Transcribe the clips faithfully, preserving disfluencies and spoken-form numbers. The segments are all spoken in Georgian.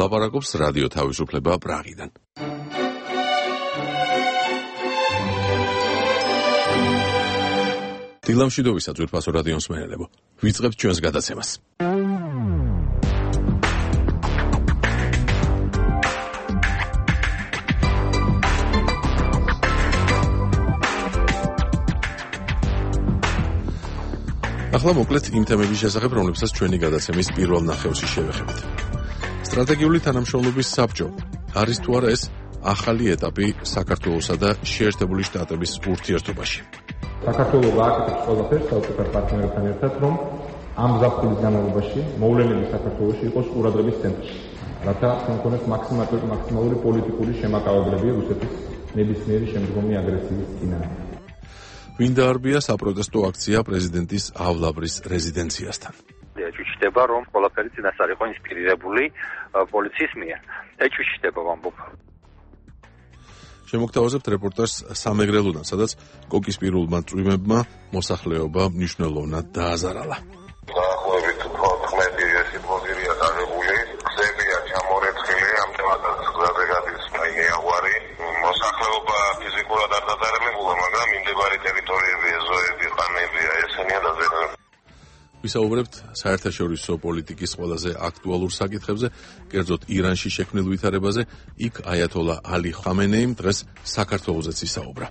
ლაპარაკობს რადიო თავისუფლება პრაღიდან. დილამშვიდობისა ძვირფასო რადიო მსმენელებო. ვიწყებთ ჩვენს გადაცემას. ახლა მოკლედ იმ თემების შესახებ, რომლებსაც ჩვენი გადაცემის პირველ ნახევრში შევეხებით. სტრატეგიული თანამშრომლობის საბჭო არის თუ არა ეს ახალი ეტაპი საქართველოსა და შეერთებული შტატების ურთიერთობაში. საქართველოს გააკეთებს ყველაფერს საუკეთესო პარტნიორებთან ერთად, რომ ამ ზაფხულის განმავლობაში მოვლენები საქართველოში იყოს ყურადღების ცენტრში, რათა კონკრეტულად მაქსიმალური მაქსიმალური პოლიტიკური შემაკავებლები რუსეთის ნებისმიერი შემდგომი აგრესიის წინააღმდეგ. ვინ დაარბია საპროტესტო აქცია პრეზიდენტის ავლაბრის რეზიდენციასთან. ეჭვიჩდება, რომ ყველაფერი წინასწარ იყო ინსპირირებული პოლიციის მიერ. ეჭვიჩდება ვამბობ. შემოგთავაზებთ რეპორტაჟს სამეგრელოდან, სადაც კოკისპირულმა წვიმებმა მოსახლეობა მნიშვნელოვნად დააზარალა. დაახლოებით თოთხმეტი სიტყვაზირია დაღებული, გზებია ჩამორეცხილი, ამიტომაც გზაზე გადის მაინეაღვარი. მოსახლეობა ფიზიკურად არ დაზარალებულა, მაგრამ მიმდებარე ტერიტორიები, ეზოები, ყანებია, ესენია დაზარალებული. ვისაუბრებთ საერთაშორისო პოლიტიკის ყველაზე აქტუალურ საკითხებზე, კერძოდ ირანში შექმნილ ვითარებაზე, იქ აიათოლა ალი ხამენეიმ დღეს საქართველოსაც ისაუბრა.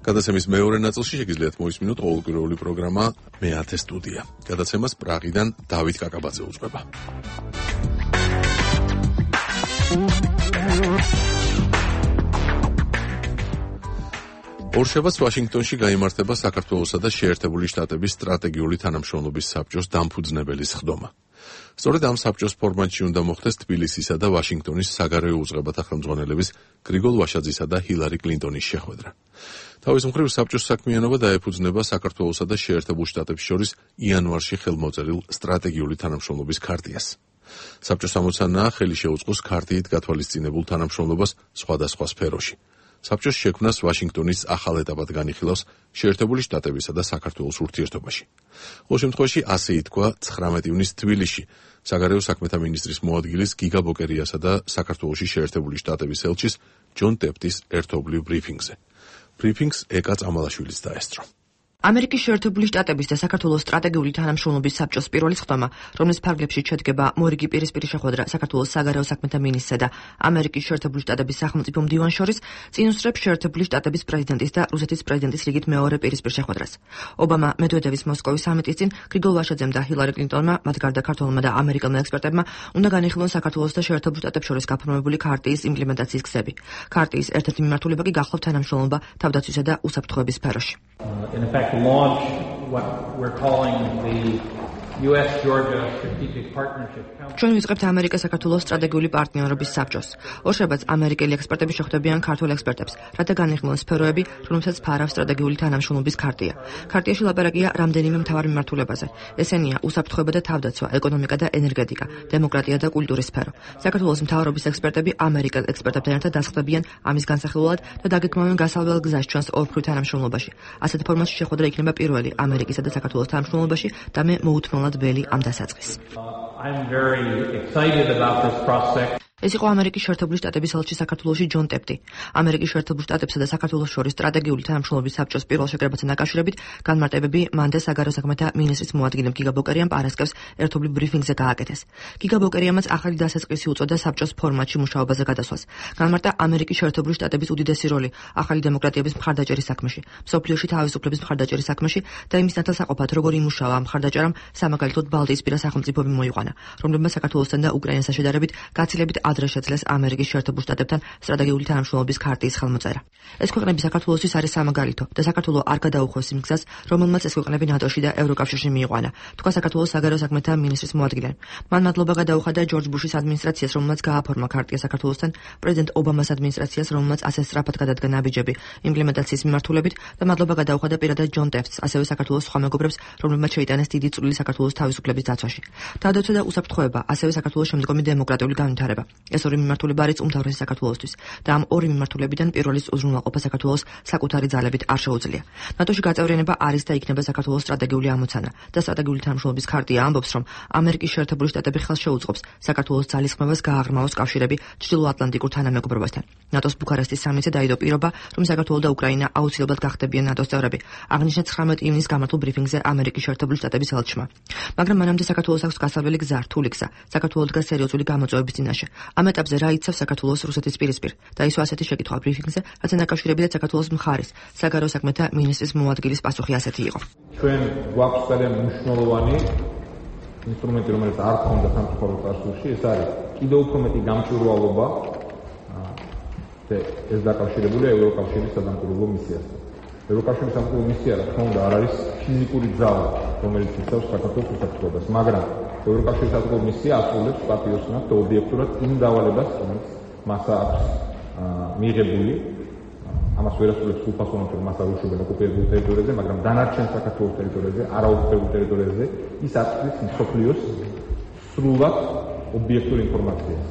გადაცემის მეორე ნაწილში შეგიძლიათ მოისმინოთ ყოველკვირეული პროგრამა მეათე სტუდია. გადაცემას პრაღიდან დავით კაკაბაძე უძღვება. ორშაბათს ვაშინგტონში გაიმართება საქართველოსა და შეერთებული შტატების სტრატეგიული თანამშრომლობის საბჭოს დამფუძნებელი სხდომა. სწორედ ამ საბჭოს ფორმატში უნდა მოხდეს თბილისისა და ვაშინგტონის საგარეო უწყებათა ხელმძღვანელების გრიგოლ ვაშაძისა და ჰილარი კლინტონის შეხვედრა. თავის მხრივ საბჭოს საქმიანობა დაეფუძნება საქართველოსა და შეერთებულ შტატებს შორის იანვარში ხელმოწერილ სტრატეგიული თანამშრომლობის ქარტიას. საბჭოს ამოცანაა ხელი შეუწყოს ქარტიით გათვალისწინებულ თანამშრომლობას სხვადასხვა სფეროში. საბჭოს შექმნას ვაშინგტონის ახალ ეტაპად განიხილავს შეერთებული შტატებისა და საქართველოს ურთიერთობაში. ყოველ შემთხვევაში ასე ითქვა ცხრამეტი ივნისს თბილისში საგარეო საქმეთა მინისტრის მოადგილის გიგა ბოკერიასა და საქართველოში შეერთებული შტატების ელჩის ჯონ ტეპტის ერთობლივ ბრიფინგზე. ბრიფინგს ეკა წამალაშვილიც დაესწრო. ამერიკის შეერთებული შტატების და საქართველოს სტრატეგიული თანამშრომლობის საბჭოს პირველი სხდომა, რომლის ფარგლებში შედგება მორიგი პირისპირი შეხვედრა საქართველოს საგარეო საქმეთა მინისტრსა და ამერიკის შეერთებული შტატების სახელმწიფო მდივანს შორის, წინ უსწრებს შეერთებული შტატების პრეზიდენტის და რუსეთის პრეზიდენტის რიგით მეორე პირისპირ შეხვედრას. ობამა, მედვედევის მოსკოვის სამიტის წინ გრიგოლ ვაშაძემ და ჰილარი კლინტონმა, მათ გარდა ქართველმა და ამერიკელმა ექსპერტებმა, უნდა განიხილონ საქართველოს და შეერთებულ შტატებს შორის გაფორმებული ქარტიის იმპლემენტაციის გზები. ქარტიის ერთ-ერთი მიმართულება კი გახლავთ თანამშრომლობა თავდაცვისა და უსაფრთხოების სფეროში. In effect, launch what we're calling the U S Georgia Strategic Partnership Council. ჩვენ ვიწყებთ ამერიკა-საქართველოს სტრატეგიული პარტნიორობის საბჭოს. ორშაბათს ამერიკელი ექსპერტები შეხვდებიან ქართულ ექსპერტებს, რათა განიხილონ სფეროები, რომლებსაც ფარავს სტრატეგიული თანამშრომლობის ქარტია. ქარტიაში ლაპარაკია რამდენიმე მთავარ მიმართულებაზე. ესენია უსაფრთხოება და თავდაცვა, ეკონომიკა და ენერგეტიკა, დემოკრატია და კულტურის სფერო. საქართველოს მთავრობის ექსპერტები ამერიკელ ექსპერტებთან ერთად დასხდებიან ამის განსახილველად და დაგეგმავენ გასავალ გზას ჩვენს ორმხრივ თანამშრომლობაში. ასეთ ფორმატში შეხვედრა იქნება პირველი ამერიკისა და საქართველოს თანამშრომლობაში და მე მოუთმენლად ველი ამ დასაწყისს. I'm very excited about this prospect. ეს იყო ამერიკის შეერთებული შტატების ელჩი საქართველოში ჯონ ტეპტი. ამერიკის შეერთებულ შტატებსა და საქართველოს შორის სტრატეგიული თანამშრომლობის საბჭოს პირველ შეკრებასთან დაკავშირებით განმარტებები მანდა საგარეო საქმეთა მინისტრის მოადგილემ გიგა ბოკერიამ პარასკევს ერთობლივ ბრიფინგზე გააკეთეს. გიგა ბოკერიამაც ახალი დასაწყისი უწოდა საბჭოს ფორმატში მუშაობაზე გადასვლას. განმარტა ამერიკის შეერთებული შტატების უდიდესი როლი ახალი დემოკრატიების მხარდაჭერის საქმეში, მსოფლიოში თავისუფლების მხარდაჭერის საქმეში და იმის ნათელსაყოფად როგორ იმუშავა ამ მხარდაჭერამ სამაგალითოდ ბალტიისპირა სახელმწიფოები მოიყვანა, რომლებმა საქართველოსთან და უკრაინასთან შედარებით გაცილებით ადრე შეძლეს ამერიკის შეერთებულ შტატებთან სტრატეგიული თანამშრომლობის ქარტიის ხელმოწერა. ეს ქვეყნები საქართველოსთვის არის სამაგალითო და საქართველოს არ გადაუხვევს იმ გზას, რომელმაც ეს ქვეყნები ნატოში და ევროკავშირში მიიყვანა, თქვა საქართველოს საგარეო საქმეთა მინისტრის მოადგილემ. მან მადლობა გადაუხადა ჯორჯ ბუშის ადმინისტრაციას, რომელმაც გააფორმა ქარტია საქართველოსთან, პრეზიდენტ ობამას ადმინისტრაციას, რომელმაც ასე სწრაფად გადადგა ნაბიჯები იმპლემენტაციის მიმართულებით და მადლობა გადაუხადა პირადად ჯონ ტეპტს, ასევე საქართველოს სხვა მეგობრებს, რომლებმაც შეიტანეს დიდი წვლილი საქართველოს თავისუფლების დაცვაში. თავდაცვა და უსაფრთხოება, ასევე საქართველოს შემდგომი დემოკრატიული განვითარება. ეს ორი მიმართულება არის უმთავრესი საქართველოსთვის და ამ ორი მიმართულებიდან პირველის უზრუნველყოფა საქართველოს საკუთარი ძალებით არ შეუძლია. ნატოში გაწევრიანება არის და იქნება საქართველოს სტრატეგიული ამოცანა და სტრატეგიული თანამშრომლობის ხარტია ამბობს, რომ ამერიკის შეერთებული შტატები ხელს შეუწყობს საქართველოს ძალისხმევას გააღრმავოს კავშირები ჩრდილოატლანტიკურ თანამეგობრობასთან. ნატოს ბუქარესტის სამიტზე დაიდო პირობა, რომ საქართველო და უკრაინა აუცილებლად გახდებიან ნატოს წევრები. აღნიშნა ცხრამეტი ივნის გამართულ ბრიფინგზე ამერიკის შეერთებული შტატების ელჩმა. მაგრამ მანამდე საქართველოს აქვს გასავალი გზა, რთული გზა. საქართველო დგას სერიოზული გამოწვევების წინაშე. ამ ეტაპზე რა იცავს საქართველოს რუსეთის პირისპირ? დაისვა ასეთი შეკითხვა ბრიფინგზე, რაც დაკავშირებია საქართველოს მხარის საგარეო საქმეთა მინისტრის მოადგილის პასუხი ასეთი იყო. ჩვენ გვაქვს ძალიან მნიშვნელოვანი ინსტრუმენტი, რომელიც არ ქონდა სამწუხარო წარსულში, ეს არის კიდევ უფრო მეტი გამჭვირვალობა და ეს დაკავშირებულია ევროკავშირის სადამკვირვებლო მისიასთან. ევროკავშირის სამკვირვებლო მისია, რა თქმა უნდა, არ არის ფიზიკური ძალა, რომელიც იცავს საქართველოს უსაფრთხოებას, მაგრამ ევროკავშირის სამკვირვებლო მისია ასრულებს პატიოსნად და ობიექტურად იმ დავალებას, რომელიც მას აქვს მიღებული. ამას ვერ ასრულებს უფასოვნად, რომ მას არ უშვებენ ოკუპირებულ ტერიტორიაზე, მაგრამ დანარჩენ საქართველოს ტერიტორიაზე, არაოკუპირებულ ტერიტორიაზე ის აწვის მსოფლიოს სრულად ობიექტურ ინფორმაციას,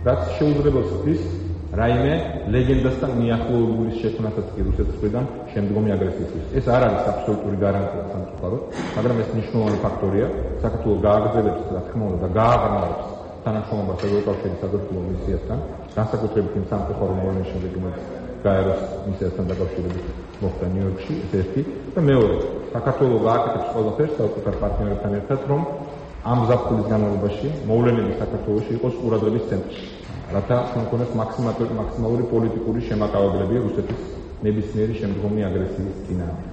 რაც შეუძლებელს ხდის რაიმე ლეგენდასთან მიახლოებული შექმნასაც კი რუსეთის მხრიდან შემდგომი აგრესიისთვის. ეს არ არის აბსოლუტური გარანტია სამწუხაროდ, მაგრამ ეს მნიშვნელოვანი ფაქტორია. საქართველოს გააგრძელებს, რა თქმა უნდა, და გააღრმავებს თანამშრომლობას ევროკავშირის სადამკვირვებლო მისიასთან, განსაკუთრებით იმ სამწუხარო მოვლენის შემდეგ, რომელიც გაეროს მისიასთან დაკავშირებით მოხდა ნიუ-იორკში, ეს ერთი და მეორე, საქართველოს გააკეთებს ყველაფერს საკუთარ პარტნიორებთან ერთად, რომ ამ ზაფხულის განმავლობაში მოვლენები საქართველოში იყოს ყურადღების ცენტრში. რათა კონკრეტულად მაქსიმალური მაქსიმალური პოლიტიკური შემაკავებლები რუსეთის ნებისმიერი შემდგომი აგრესიის წინააღმდეგ.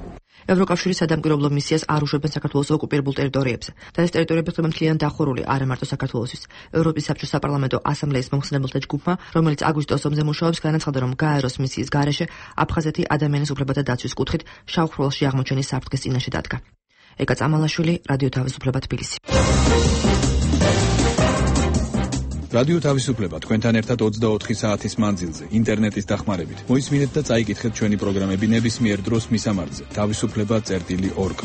ევროკავშირის სადამკვირვებლო მისიას არ უშვებენ საქართველოს ოკუპირებულ ტერიტორიებზე და ეს ტერიტორიები ხდება მთლიან დახურული არა მარტო საქართველოსთვის. ევროპის საბჭოს საპარლამენტო ასამბლეის მომხსნებელთა ჯგუფმა, რომელიც აგვისტოს ომზე მუშაობს, განაცხადა, რომ გაეროს მისიის გარეშე აფხაზეთი ადამიანის უფლებათა დაცვის კუთხით შავხროლში აღმოჩენის საფრთხის წინაშე დადგა. ეკა წამალაშვილი, რადიო თავისუფლება, თბილისი. რადიო თავისუფლება თქვენთან ერთად ოცდაოთხი საათის მანძილზე ინტერნეტის დახმარებით. მოისმინეთ და წაიკითხეთ ჩვენი პროგრამები ნებისმიერ დროს მისამართზე თავისუფლება წერტილი ორგ.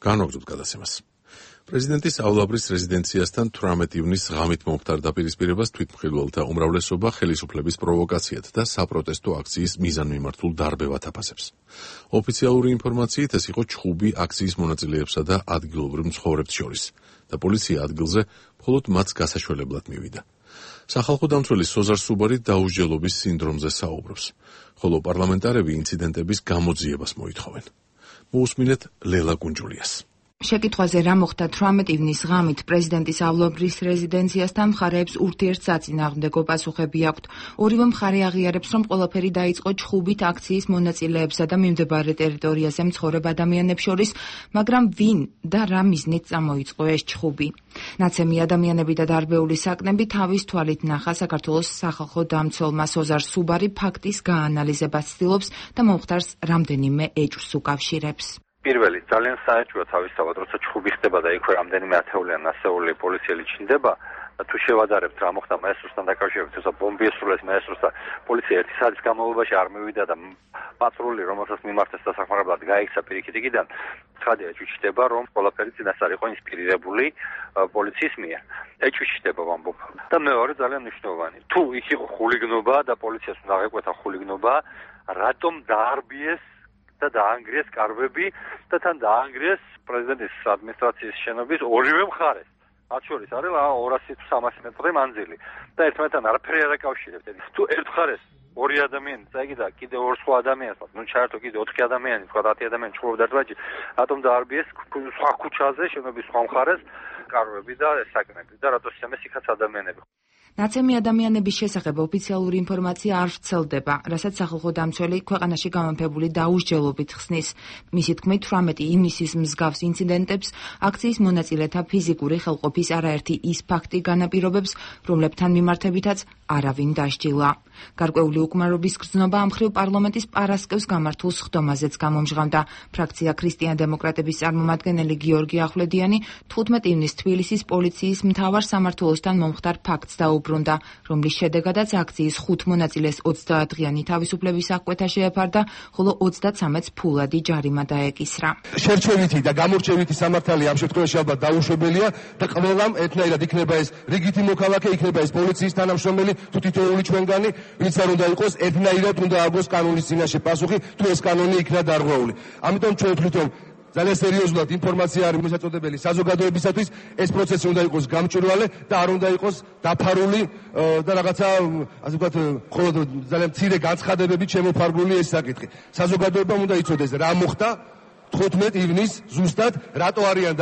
განვაგრძობთ გადაცემას. პრეზიდენტის აულაბრის რეზიდენციასთან თვრამეტი ივნის ღამით მომხდარდა პირისპირებას თვითმხილველთა უმრავლესობა ხელისუფლების პროვოკაციად და საპროტესტო აქციის მიზანმიმართულ დარბევად აფასებს. ოფიციალური ინფორმაციით ეს იყო ჩხუბი აქციის მონაწილეებსა და ადგილობრივ მცხოვრებს შორის და პოლიცია ადგილზე მხოლოდ მათ გასაშველებლად მივიდა. სახალხო დამცველი სოზარ სუბარი დაუსჯელობის სინდრომზე საუბრობს, ხოლო პარლამენტარები ინციდენტების გამოძიებას მოითხოვენ. მოусმინეთ ლელა კუნჯულიას. შეკითხვაზე რა მოხდა თვრამეტი ივნის ღამით პრეზიდენტის აულაბრის რეზიდენციასთან მხარეებს ურთიერთსაწინააღმდეგო პასუხები აქვთ. ორივე მხარე აღიარებს, რომ ყველაფერი დაიწყო ჩხუბით აქციის მონაწილეებსა და მიმდებარე ტერიტორიაზე მცხოვრებ ადამიანებს შორის, მაგრამ ვინ და რა მიზნით წამოიწყო ეს ჩხუბი? ნაცემი ადამიანები და დარბეული საკნები თავის თვალით ნახა საქართველოს სახალხო დამცველმა სოზარ სუბარი ფაქტის გაანალიზებას ცდილობს და მომხდარს რამდენიმე ეჭვს უკავშირებს. პირველი ძალიან საეჭვოა თავისთავად, როცა ჩხუბი ხდება და იქვე რამდენიმე ათეულიან ასეული პოლიციელი ჩნდება, თუ შევადარებთ რა მოხდა მაესტროსთან დაკავშირებით, თორსა ბომბი ესრულეს მაესტროს და პოლიცია ერთი საათის განმავლობაში არ მივიდა და პატრული, რომელსაც მიმართეს დასახმარებლად გაიქცა პირიქით იქიდან, ცხადია ჭვიშდება, რომ ყველაფერი წინასწარ იყო ინსპირირებული პოლიციის მიერ. ეჭვიშდება ვამბობ. და მეორე ძალიან მნიშვნელოვანი. თუ იქ იყო ხულიგნობა და პოლიციას უნდა აღეკვეთა ხულიგნობა, რატომ დაარბიეს და დაანგრიეს კარვები და თან დაანგრიეს პრეზიდენტის ადმინისტრაციის შენობის ორივე მხარეს. მათ შორის არის ორასი თუ სამასი მეტრი მანძილი და ერთმანეთთან არაფერი არ აკავშირებთ. თუ ერთ მხარეს ორი ადამიანი წაიგდა კიდე ორ სხვა ადამიანს, ნუ ჩაერთო კიდე ოთხი ადამიანი, სხვა ათი ადამიანი ჩხუბობდა ერთმანეთში, რატომ დაარბიეს სხვა ქუჩაზე შენობის სხვა მხარეს კარვები და საკნები და რატო შემეს იქაც ადამიანები. ნაცემი ადამიანების შესახებ ოფიციალური ინფორმაცია არ ვრცელდება, რასაც სახალხო დამცველი ქვეყანაში გამანფებული დაუსჯელობით ხსნის. მისი თქმით, თვრამეტი ივნისის მსგავს ინციდენტებს აქციის მონაწილეთა ფიზიკური ხელყოფის არაერთი ის ფაქტი განაპირობებს, რომლებთან მიმართებითაც არავინ დასჯილა. გარკვეული უკმარობის გრძნობა ამ მხრივ პარლამენტის პარასკევს გამართულ სხდომაზეც გამომჟღავნდა. ფრაქცია ქრისტიან-დემოკრატების წარმომადგენელი გიორგი ახვლედიანი თხუთმეტ ივნისს თბილისის პოლიციის მთავარ სამმართველოსთან მომხდარ ფაქტს დაუბრუნდა, რომლის შედეგადაც აქციის ხუთ მონაწილეს ოცდაათდღიანი თავისუფლების აღკვეთა შეეფარდა, ხოლო ოცდაცამეტს ფულადი ჯარიმა დაეკისრა. შერჩევითი და გამორჩევითი სამართალი ამ შემთხვევაში ალბათ დაუშვებელია და ყველამ ერთნაირად იქნება ეს რიგითი მოქალაქე, იქნება ეს პოლიციის თანამშრომელი, თუ თითოეული ჩვენგანი, ვინც არ უნდა იყოს, ერთნაირად უნდა აგოს კანონის წინაშე პასუხი, თუ ეს კანონი იქნა დარღვეული. ამიტომ ჩვენ ვთვლით, ძალიან სერიოზულად ინფორმაცია არის მოსაწოდებელი საზოგადოებისათვის, ეს პროცესი უნდა იყოს გამჭვირვალე და არ უნდა იყოს დაფარული და რაღაცა, ასე ვთქვათ, მხოლოდ ძალიან მცირე განცხადებებით შემოფარგლული ეს საკითხი. საზოგადოებამ უნდა იცოდეს რა მოხდა თხუთმეტ ივნისს ზუსტად, რატო არიან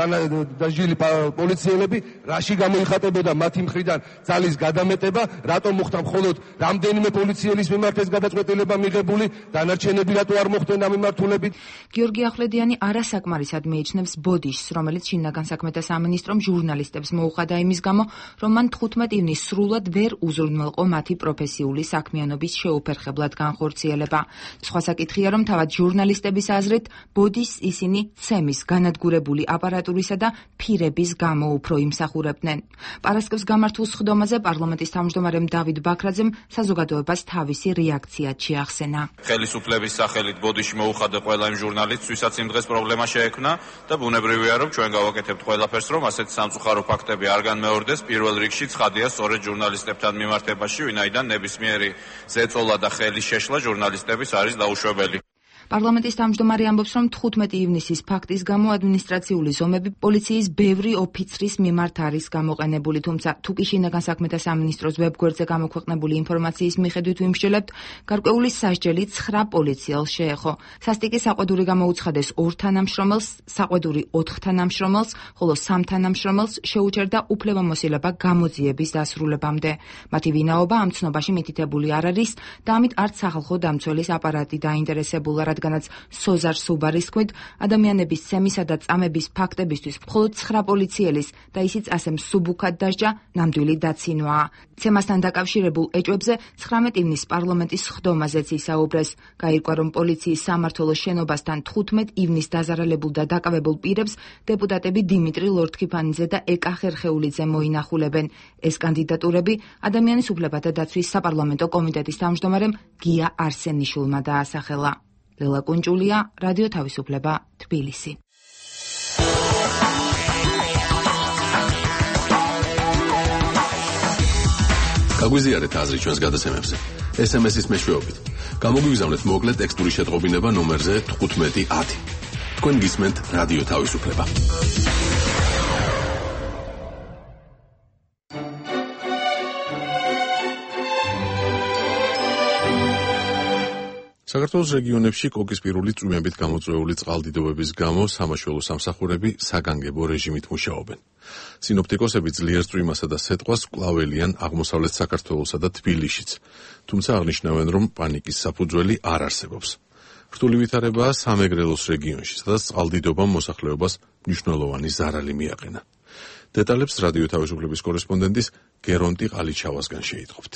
დასჯილი პოლიციელები, რაში გამოიხატებოდა მათი მხრიდან ძალის გადამეტება, რატო მოხდა მხოლოდ რამდენიმე პოლიციელის მიმართ ეს გადაწყვეტილება მიღებული, დანარჩენები რატო არ მოხდნენ ამ მიმართულებით. გიორგი ახვლედიანი არასაკმარისად მიიჩნევს ბოდიშს, რომელიც შინაგან საქმეთა სამინისტრომ ჟურნალისტებს მოუხადა იმის გამო, რომ მან თხუთმეტ ივნისს სრულად ვერ უზრუნველყო მათი პროფესიული საქმიანობის შეუფერხებლად განხორციელება. სხვა საკითხია, რომ თავად ჟურნალისტების აზრით ბოდიშს ისინი ცემის, განადგურებული აპარატურისა და ფირების გამო უფრო იმსახურებდნენ. პარასკევს გამართულ სხდომაზე პარლამენტის თავმჯდომარემ დავით ბაქრაძემ საზოგადოებას თავისი რეაქცია შეახსენა. ხელისუფლების სახელით ბოდიში მოუხადა ყველა იმ ჟურნალისტს, ვისაც იმ დღეს პრობლემა შეექმნა და ბუნებრივია, რომ ჩვენ გავაკეთებთ ყველაფერს, რომ ასეთი სამწუხარო ფაქტები არ განმეორდეს. პირველ რიგში ცხადია სწორედ ჟურნალისტებთან მიმართებაში, ვინაიდან ნებისმიერი ზეწოლა და ხელის შეშლა ჟურნალისტების არის დაუშვებელი. პარლამენტის თავმჯდომარე ამბობს, რომ თხუთმეტ ივნისის ფაქტის გამო ადმინისტრაციული ზომები პოლიციის ბევრი ოფიცრის მიმართ არის გამოყენებული, თუმცა თუ კი შინაგან საქმეთა სამინისტროს ვებგვერდზე გამოქვეყნებული ინფორმაციის მიხედვით ვიმსჯელებთ, გარკვეული სასჯელი ცხრა პოლიციელს შეეხო. სასტიკი საყვედური გამოუცხადეს ორ თანამშრომელს, საყვედური ოთხ თანამშრომელს, ხოლო სამ თანამშრომელს შეუჩერდა უფლებამოსილება გამოძიების დასრულებამდე. მათი ვინაობა ამ ცნობაში მითითებული არ არის და ამით არც სახალხო დამცველის აპარატი დაინტერესებულა, რადგანაც სოზარ სუბარის თქმით, ადამიანების ცემისა და წამების ფაქტებისთვის მხოლოდ ცხრა პოლიციელის და ისიც ასე მსუბუქად დასჯა ნამდვილი დაცინვაა. ცემასთან დაკავშირებულ ეჭვებზე ცხრამეტ ივნისს პარლამენტის სხდომაზეც ისაუბრეს. გაირკვა, რომ პოლიციის სამმართველოს შენობასთან თხუთმეტ ივნისს დაზარალებულ და დაკავებულ პირებს დეპუტატები დიმიტრი ლორთქიფანიძე და ეკა ხერხეულიძე მოინახულებენ. ეს კანდიდატურები ადამიანის უფლებათა დაცვის საპარლამენტო კომიტეტის თავმჯდომარემ გია არსენიშვილმა დაასახელა. ლელა კუნჭულია, რადიო თავისუფლება, თბილისი. გაგვიზიარეთ აზრი ჩვენს გადაცემებზე. ეს ემ ეს-ის მეშვეობით. გამოგვიგზავნეთ მოკლე ტექსტური შეტყობინება ნომერზე თხუთმეტი ათი. თქვენ გისმენთ რადიო თავისუფლება. საქართველოს რეგიონებში კოკისპირული წვიმებით გამოწვეული წყალდიდობების გამო სამაშველო სამსახურები საგანგებო რეჟიმით მუშაობენ. სინოპტიკოსები ძლიერ წვიმასა და სეტყვას კვლავ-ელიან აღმოსავლეთ საქართველოსა და თბილისშიც, თუმცა აღნიშნავენ, რომ პანიკის საფუძველი არ არსებობს. რთული ვითარებაა სამეგრელოს რეგიონში, სადაც წყალდიდობამ მოსახლეობას მნიშვნელოვანი ზარალი მიაყენა. დეტალებს რადიო თავისუფლების კორესპონდენტის გერონტი ყალიჩავასგან შეიტყობთ.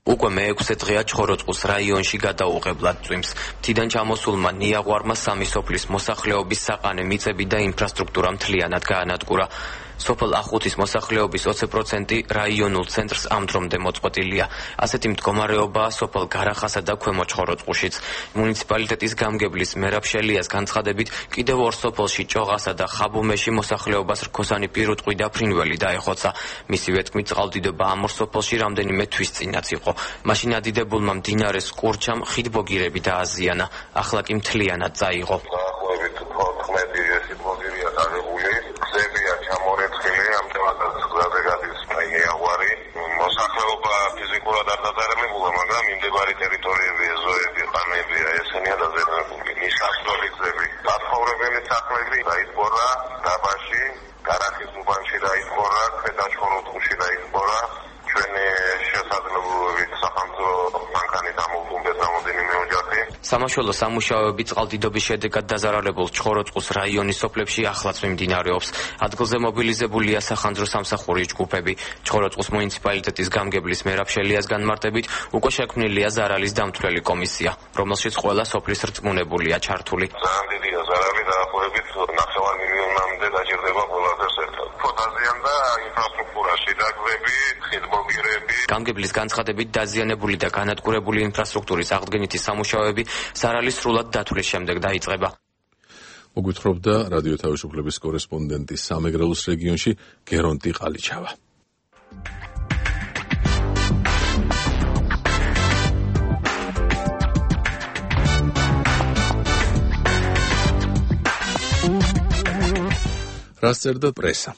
უკვე მეექვსე დღეა ჩხოროწყუს რაიონში გადაუღებლად წვიმს. მთიდან ჩამოსულმა ნიაღვარმა სამი სოფლის მოსახლეობის საყანე მიწები და ინფრასტრუქტურა მთლიანად გაანადგურა. სოფელ ახუთის მოსახლეობის ოცი პროცენტი რაიონულ ცენტრს ამ დრომდე მოწყვეტილია. ასეთი მდგომარეობაა სოფელ გარახასა და ქვემო ჩხოროწყუშიც. მუნიციპალიტეტის გამგებლის მერაბ შელიას განცხადებით, კიდევ ორ სოფელში ჭოღასა და ხაბუმეში მოსახლეობას რქოსანი პირუტყვი და ფრინველი დაეხოცა. მისივე თქმით, წყალდიდობა ამ ორ სოფელში რამდენიმე თვის წინაც იყო. მაშინ ადიდებულმა მდინარეს კურჩამ ხიდბოგირები დააზიანა. ახლა კი მთლიანად წაიღო. მოსახლეობა ფიზიკურად არ დაზარალებულა, მაგრამ მიმდებარე ტერიტორიები, ეზოები, ყანებია, ესენია დაზარალებული. მისასვლელი გზები, გაცხოვრებელი სახლები დაიხურა დაბაში, გარახის უბანში დაიხურა, ქვედაჩხოროწყუში დაიხურა. ჩვენი შესაძლებლობებით სახელმწიფო მანქანით ამოვუყურეთ რამდენიმე ოჯახი. სამაშველო სამუშაოები წყალდიდობის შედეგად დაზარალებულ ჩხოროწყუს რაიონის სოფლებში ახლაც მიმდინარეობს. ადგილზე მობილიზებულია სახანძრო სამსახური ჯგუფები. ჩხოროწყუს მუნიციპალიტეტის გამგებლის მერაბ შელიას განმარტებით უკვე შექმნილია ზარალის დამთვლელი კომისია, რომელშიც ყველა სოფლის რწმუნებულია ჩართული. ძალიან დიდია ზარალი, დაახლოებით ნახევარ მილიონამდე დაჭირდება ყველასთან ერთად. ფოტაზიან და ინფრასტრუქტურაში დაგвеები, ხიდმომიერები. გამგებლის განცხადებით დაზიანებული და განადგურებული ინფრასტრუქტურის აღდგენითი სამუშაოები ზარალის სრულად დათვლის შემდეგ დაიწყება. მოგვითხრობდა რადიო თავისუფლების კორესპონდენტი სამეგრელოს რეგიონში გერონტი ყალიჩავა. რას წერდა პრესა?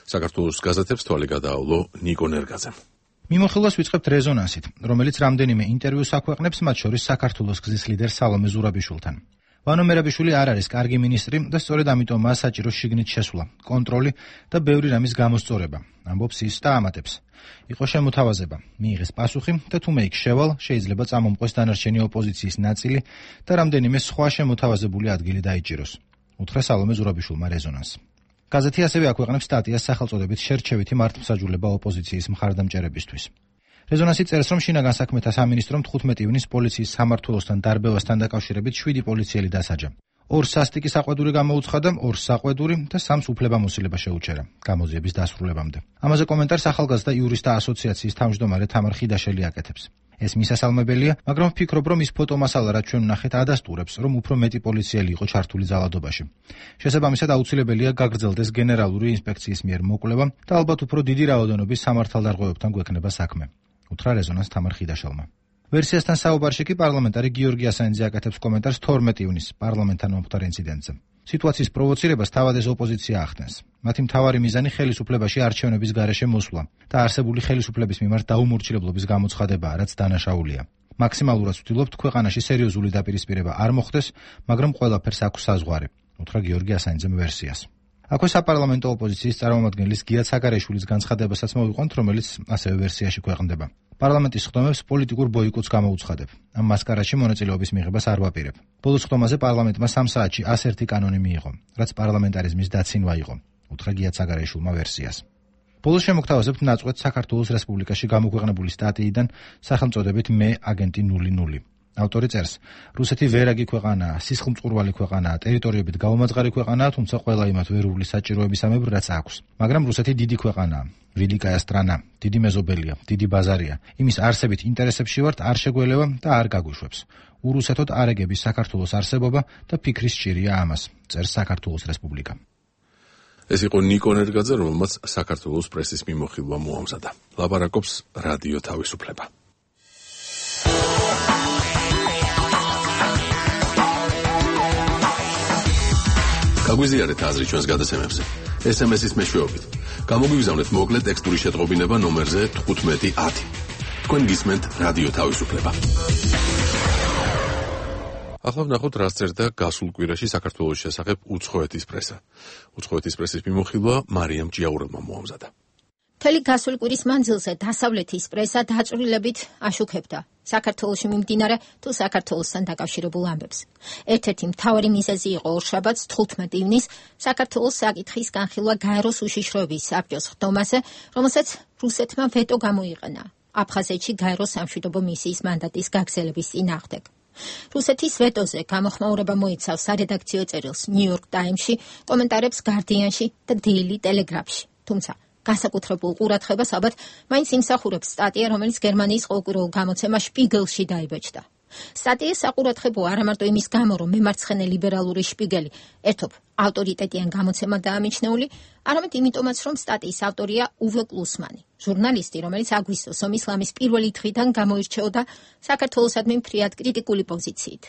საქართველოს გაზეთებს თვალი გადაავლო ნიკო ნერგაძემ. მიმოხილვას ვიწყებთ რეზონანსით, რომელიც რამდენიმე ინტერვიუს აქვეყნებს, მათ შორის საქართველოს გზის ლიდერ სალომე ზურაბიშვილთან. ვანო მერაბიშვილი არ არის კარგი მინისტრი და სწორედ ამიტომაა საჭირო შიგნით შესვლა, კონტროლი და ბევრი რამის გამოსწორება, ამბობს ის და ამატებს. იყო შემოთავაზება, მიიღეს პასუხი და თუ მე იქ შევალ, შეიძლება წამომყვეს დანარჩენი ოპოზიციის ნაწილი და რამდენიმე სხვა შემოთავაზებული ადგილი დაიჭიროს. უთხრა სალომე ზურაბიშვილმა რეზონანს. გაზეთი ასევე აქვეყნებს სტატიას სახელწოდებით შერჩევითი მართლმსაჯულება ოპოზიციის მხარდამჭერებისთვის. რეზონანსი წერს, რომ შინაგან საქმეთა სამინისტრომ თხუთმეტი ივნის პოლიციის სამმართველოსთან დარბევასთან დაკავშირებით შვიდი პოლიციელი დასაჯა. ორს სასტიკი საყვედური გამოუცხადა, ორს საყვედური და სამს უფლებამოსილება შეუჩერა გამოძიების დასრულებამდე. ამაზე კომენტარს ახალგაზრდა იურისტთა ასოციაციის თავმჯდომარე თამარ ხიდაშელი აკეთებს. ეს მისასალმებელია, მაგრამ ვფიქრობ, რომ ის ფოტომასალა, რაც ჩვენ ვნახეთ, ადასტურებს, რომ უფრო მეტი პოლიციელი იყო ჩართული ძალადობაში. შესაბამისად, აუცილებელია გაგრძელდეს გენერალური ინსპექციის მიერ მოკვლევა და ალბათ უფრო დიდი რაოდენობის სამართალდარღვევებთან გვექნება საქმე. უთხრა რეზონანს თამარ ხიდაშელმა. ვერსიასთან საუბარში კი პარლამენტარი გიორგი ასანიძე აკეთებს კომენტარს თორმეტი ივნის პარლამენტთან მომხდარ ინციდენტზე. სიტუაციის პროვოცირებას თავად ეს ოპოზიცია ახდენს. მათი მთავარი მიზანი ხელისუფლებაში არჩევნების გარეშე მოსვლა და არსებული ხელისუფლების მიმართ დაუმორჩილებლობის გამოცხადებაა, რაც დანაშაულია. მაქსიმალურად ვცდილობთ ქვეყანაში სერიოზული დაპირისპირება არ მოხდეს, მაგრამ ყველაფერს აქვს საზღვარი, უთხრა გიორგი ასანიძემ ვერსიას. აქვე საპარლამენტო ოპოზიციის წარმომადგენლის გია ცაგარეიშვილის განცხადებასაც მოვიყვანთ, რომელიც ასევე ვერსიაში ქვეყნდება. პარლამენტის ხდომებს პოლიტიკურ ბოიკოტს გამოუცხადებ. ამ მასკარადში მონაწილეობის მიღებას არ ვაპირებ. ბოლოს ხდომაზე პარლამენტმა სამ საათში ას ერთი კანონი მიიღო, რაც პარლამენტარიზმის დაცინვა იყო, უთხრა გია ცაგარეიშვილმა ვერსიას. ბოლოს შემოგთავაზებთ ნაწყვეტ საქართველოს რესპუბლიკაში გამოქვეყნებული სტატიიდან სახელწოდებით მე აგენტი ნული ნული. ავტორი წერს, რუსეთი ვერაგი ქვეყანაა, სისხლმწყურვალი ქვეყანაა, ტერიტორიებით გაუმაძღარი ქვეყანაა, თუმცა ყველა იმათ ვერ უვლის საჭიროებისამებრ, რაც აქვს. მაგრამ რუსეთი დიდი ქვეყანაა, ვილიკაია სტრანა, დიდი მეზობელია, დიდი ბაზარია. იმის არსებით ინტერესებში ვართ, არ შეგველევა და არ გაგუშვებს. ურუსეთოდ არ ეგების საქართველოს არსებობა და ფიქრის სჭირია ამას, წერს საქართველოს რესპუბლიკა. ეს იყო ნიკო ნერგაძე, რომელმაც საქართველოს პრესის მიმოხილვა მოამზადა. ლაპარაკობს რადიო თავისუფლება. გაგვიზიარეთ აზრი ჩვენს გადაცემებზე. ეს ემ ეს-ის მეშვეობით. გამოგვიგზავნეთ მოკლე ტექსტური შეტყობინება ნომერზე თხუთმეტი ათი. თქვენ გისმენთ რადიო თავისუფლება. ახლა ვნახოთ, რას წერდა გასულ კვირაში საქართველოს შესახებ უცხოეთის პრესა. უცხოეთის პრესის მიმოხილვა მარიამ ჭიაურელმა მოამზადა. მთელი გასული კვირის მანძილზე დასავლეთის პრესა დაწვრილებით აშუქებდა საქართველოში მიმდინარე თუ საქართველოსთან დაკავშირებულ ამბებს. ერთ-ერთი მთავარი მიზეზი იყო ორშაბათს თხუთმეტი ივნის საქართველოს საკითხის განხილვა გაეროს უშიშროების საბჭოს ხდომაზე, რომელსაც რუსეთმა ვეტო გამოიყენა აფხაზეთში გაეროს სამშვიდობო მისიის მანდატის გაგრძელების წინააღმდეგ. რუსეთის ვეტოზე გამოხმაურება მოიცავს სარედაქციო წერილს ნიუ-იორკ ტაიმსში, კომენტარებს გარდიანში და დეილი ტელეგრაფში. თუმცა განსაკუთრებულ ყურადღებას ალბათ მაინც იმსახურებს სტატია, რომელიც გერმანიის ყოველკვირეულ გამოცემა შპიგელში დაიბეჭდა. სტატია საყურადღებო არა მარტო იმის გამო, რომ მემარცხენე ლიბერალური შპიგელი ერთობ ავტორიტეტიან გამოცემა დაამიჩნეული, არამედ იმიტომაც, რომ სტატიის ავტორია უვე კლუსმანი, ჟურნალისტი, რომელიც აგვისტოს ომის ლამის პირველი დღიდან გამოირჩეოდა საქართველოსადმი ფრიად კრიტიკული პოზიციით.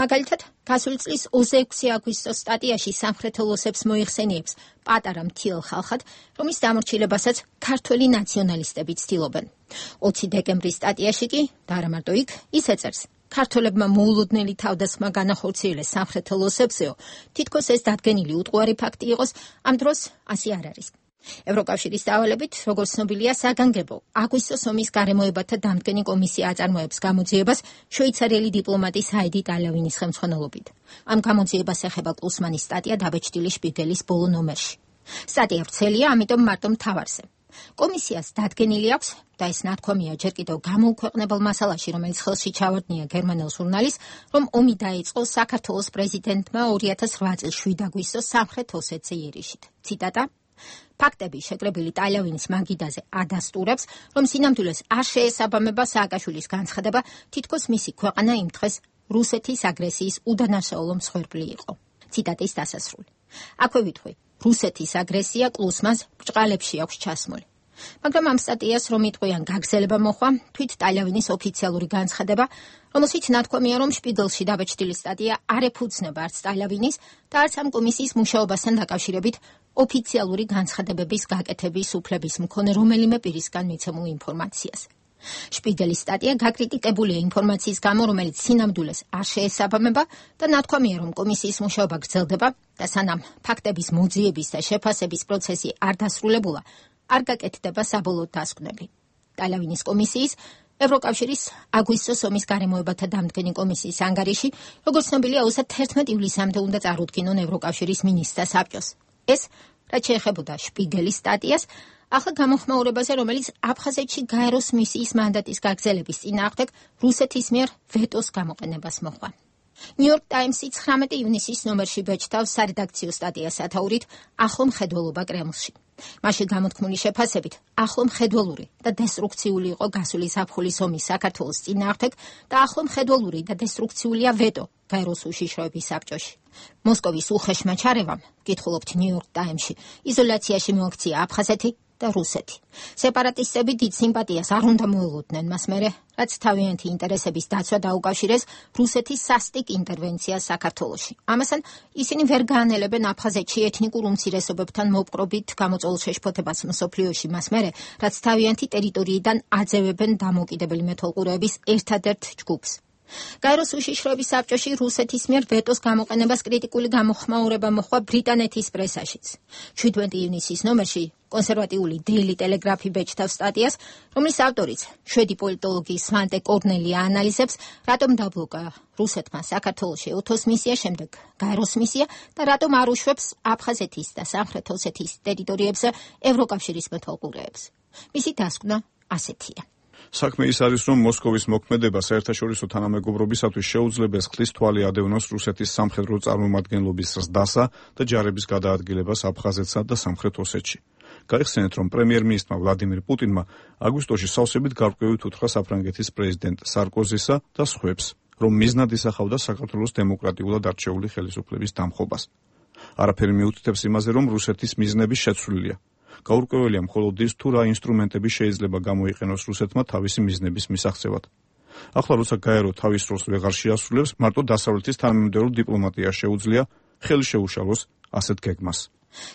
მაგალითად, გასული წლის ოცდაექვსი აგვისტოს სტატიაში სამხრეთელოსებს მოიხსენიებს პატარა მთიელ ხალხად, რომის დამორჩილებასაც ქართველი ნაციონალისტები ცდილობენ. ოცი დეკემბრის სტატიაში კი, და არა მარტო იქ, ის ეწერს, ქართველებმა მოულოდნელი თავდასხმა განახორციელეს სამხრეთელოსებსეო, თითქოს ეს დადგენილი უტყუარი ფაქტი იყოს, ამ დროს ასე არ არის. ევროკავშირის დავალებით, როგორც ცნობილია, საგანგებო აგვისტოს ომის გარემოებათა დამდგენი კომისია აწარმოებს გამოძიებას შვეიცარიელი დიპლომატის ჰაიდი ტალავინის ხელმძღვანელობით. ამ გამოძიებას ეხება კლუსმანის სტატია დაბეჭდილი შპიგელის ბოლო ნომერში. სტატია ვრცელია, ამიტომ მარტო მთავარზე. კომისიას დადგენილი აქვს და ეს ნათქვამია ჯერ კიდევ გამოუქვეყნებელ მასალაში, რომელიც ხელში ჩავარდნია გერმანელ ჟურნალის, რომ ომი დაიწყო საქართველოს პრეზიდენტმა ორი ათას რვა წლის შვიდ აგვისტოს სამხრეთ ოსეთზე იერიშით. ციტატა: ფაქტები შეკრებილი ტალავინის მაგიდაზე ადასტურებს, რომ სინამდვილეს არ შეესაბამება სააკაშვილის განცხადება, თითქოს მისი ქვეყანა იმ დღეს რუსეთის აგრესიის უდანაშაულო მსხვერპლი იყო. ციტატის დასასრული. აქვე ვითხვი, რუსეთის აგრესია კლუსმას ბრჭყალებში აქვს ჩასმული. მაგრამ ამ სტატიას რომ იტყვიან გაგზელება მოხვა, თვით ტალავინის ოფიციალური განცხადება, რომელშიც ნათქვამია, რომ შპიგელში დაბეჭდილი სტატია არ ეფუძნება არც ტალავინის და არც ამ კომისიის მუშაობასთან დაკავშირებით ოფიციალური განცხადებების გაკეთების უფლების მქონე რომელიმე პირისგან მიცემულ ინფორმაციას. შპიგელის სტატია გაკრიტიკებულია ინფორმაციის გამო, რომელიც სინამდვილეს არ შეესაბამება და ნათქვამია, რომ კომისიის მუშაობა გრძელდება და სანამ ფაქტების მოძიების და შეფასების პროცესი არ დასრულებულა, არ გაკეთდება საბოლოო დასკვნები. ტალავინის კომისიის ევროკავშირის აგვისტოს ომის გარემოებათა დამდგენი კომისიის ანგარიში, როგორც ცნობილია, ოცდაათი ივლისამდე უნდა წარუდგინონ ევროკავშირის მინისტრთა საბჭოს. ეს, რაც შეეხებოდა შპიგელის სტატიას, ახლა გამოხმაურებაზე, რომელიც აფხაზეთში გაეროს მისიის მანდატის გაგრძელების წინააღმდეგ რუსეთის მიერ ვეტოს გამოყენებას მოჰყვა. ნიუ-იორკ ტაიმსი ცხრამეტი ივნისის ნომერში ბეჭდავს სარედაქციო სტატიას სათაურით ახლო მხედველობა კრემლში. მასში გამოთქმული შეფასებით, ახლო მხედველური და დესტრუქციული იყო გასული ზაფხულის ომი საქართველოს წინააღმდეგ და ახლო მხედველური და დესტრუქციულია ვეტო გაეროს უშიშროების საბჭოში. მოსკოვის უხეშმა ჩარევამ, კითხულობთ ნიუ-იორკ ტაიმსში, იზოლაციაში მოაქცია აფხაზეთი და რუსეთი. სეპარატისტები დიდ სიმპათიას არ უნდა მოელოდნენ მას მერე, რაც თავიანთი ინტერესების დაცვა დაუკავშირეს რუსეთის სასტიკ ინტერვენციას საქართველოში. ამასთან ისინი ვერ გაანელებენ აფხაზეთში ეთნიკურ უმცირესობებთან მოპყრობით გამოწვეულ შეშფოთებას მსოფლიოში მას მერე, რაც თავიანთი ტერიტორიიდან აძევებენ დამოუკიდებელი მეთვალყურეების ერთადერთ ჯგუფს. გაეროს უშიშროების საბჭოში რუსეთის მიერ ვეტოს გამოყენებას კრიტიკული გამოხმაურება მოჰყვა ბრიტანეთის პრესაშიც. შვიდმეტი ივნისის ნომერში კონსერვატიული Daily Telegraph ბეჭდავს სტატიას, რომლის ავტორიც შვედი პოლიტოლოგი სვანტე კორნელია ანალიზებს, რატომ დაბლოკა რუსეთმა საქართველოში უთოს მისია, შემდეგ გაეროს მისია და რატომ არ უშვებს აფხაზეთის და სამხრეთ ოსეთის ტერიტორიებზე ევროკავშირის მეთვალყურეებს. მისი დასკვნა ასეთია. საქმე ის არის, რომ მოსკოვის მოქმედება საერთაშორისო თანამეგობრობისათვის შეუძლებს ხლის თვალი ადევნოს რუსეთის სამხედრო წარმომადგენლობის ზრდასა და ჯარების გადაადგილებას აფხაზეთსა და სამხრეთ ოსეთში. გაიხსენეთ, რომ პრემიერ-მინისტრმა ვლადიმირ პუტინმა აგვისტოში სავსებით გარკვევით უთხრა საფრანგეთის პრეზიდენტ სარკოზისა და სხვებს, რომ მიზნად ისახავდა საქართველოს დემოკრატიულად არჩეული ხელისუფლების დამხობას. არაფერი მიუთითებს იმაზე, რომ რუსეთის მიზნები შეცვლილია. გაურკვეველია მხოლოდ ის, თუ რა ინსტრუმენტები შეიძლება გამოიყენოს რუსეთმა თავისი მიზნების მისაღწევად. ახლა როცა გაერო თავის როლს ვეღარ შეასრულებს, მარტო დასავლეთის თანამიმდევრო დიპლომატია შეუძლია ხელი შეუშალოს ასეთ გეგმას.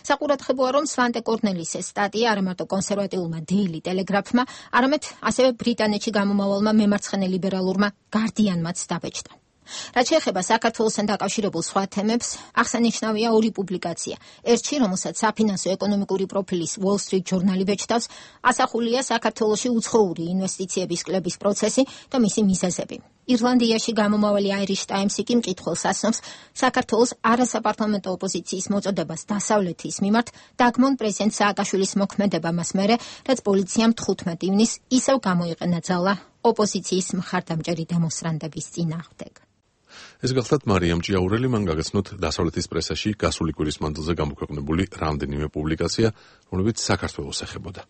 საყურადღებოა, რომ სვანტე კორნელის სტატია არა მარტო კონსერვატიულმა Daily Telegraph-მა, არამედ ასევე ბრიტანეთში გამომავალმა მემარცხენე ლიბერალურმა Guardian-მაც დაბეჭდა. რაც შეეხება საქართველოსთან დაკავშირებულ სხვა თემებს, აღსანიშნავია ორი პუბლიკაცია. ერთში, რომელსაც საფინანსო ეკონომიკური პროფილის Wall Street ჟურნალი ბეჭდავს, ასახულია საქართველოში უცხოური ინვესტიციების კლების პროცესი და მისი მიზეზები. ირლანდიაში გამომავალი Irish Times-ი კი მკითხველს ასწავს საქართველოს არასაპარლამენტო ოპოზიციის მოწოდებას დასავლეთის მიმართ დაგმონ პრეზიდენტ სააკაშვილის მოქმედება მას მერე, რაც პოლიციამ თხუთმეტი ივნისს ისევ გამოიყენა ძალა ოპოზიციის მხარდამჭერი დემონსტრანტების წინააღმდეგ. ეს გახლავთ მარიამ ჭიაურელი, მან გაგაცნოთ დასავლეთის პრესაში გასული კვირის მანძილზე გამოქვეყნებული რამდენიმე პუბლიკაცია, რომლებიც საქართველოს ეხებოდა.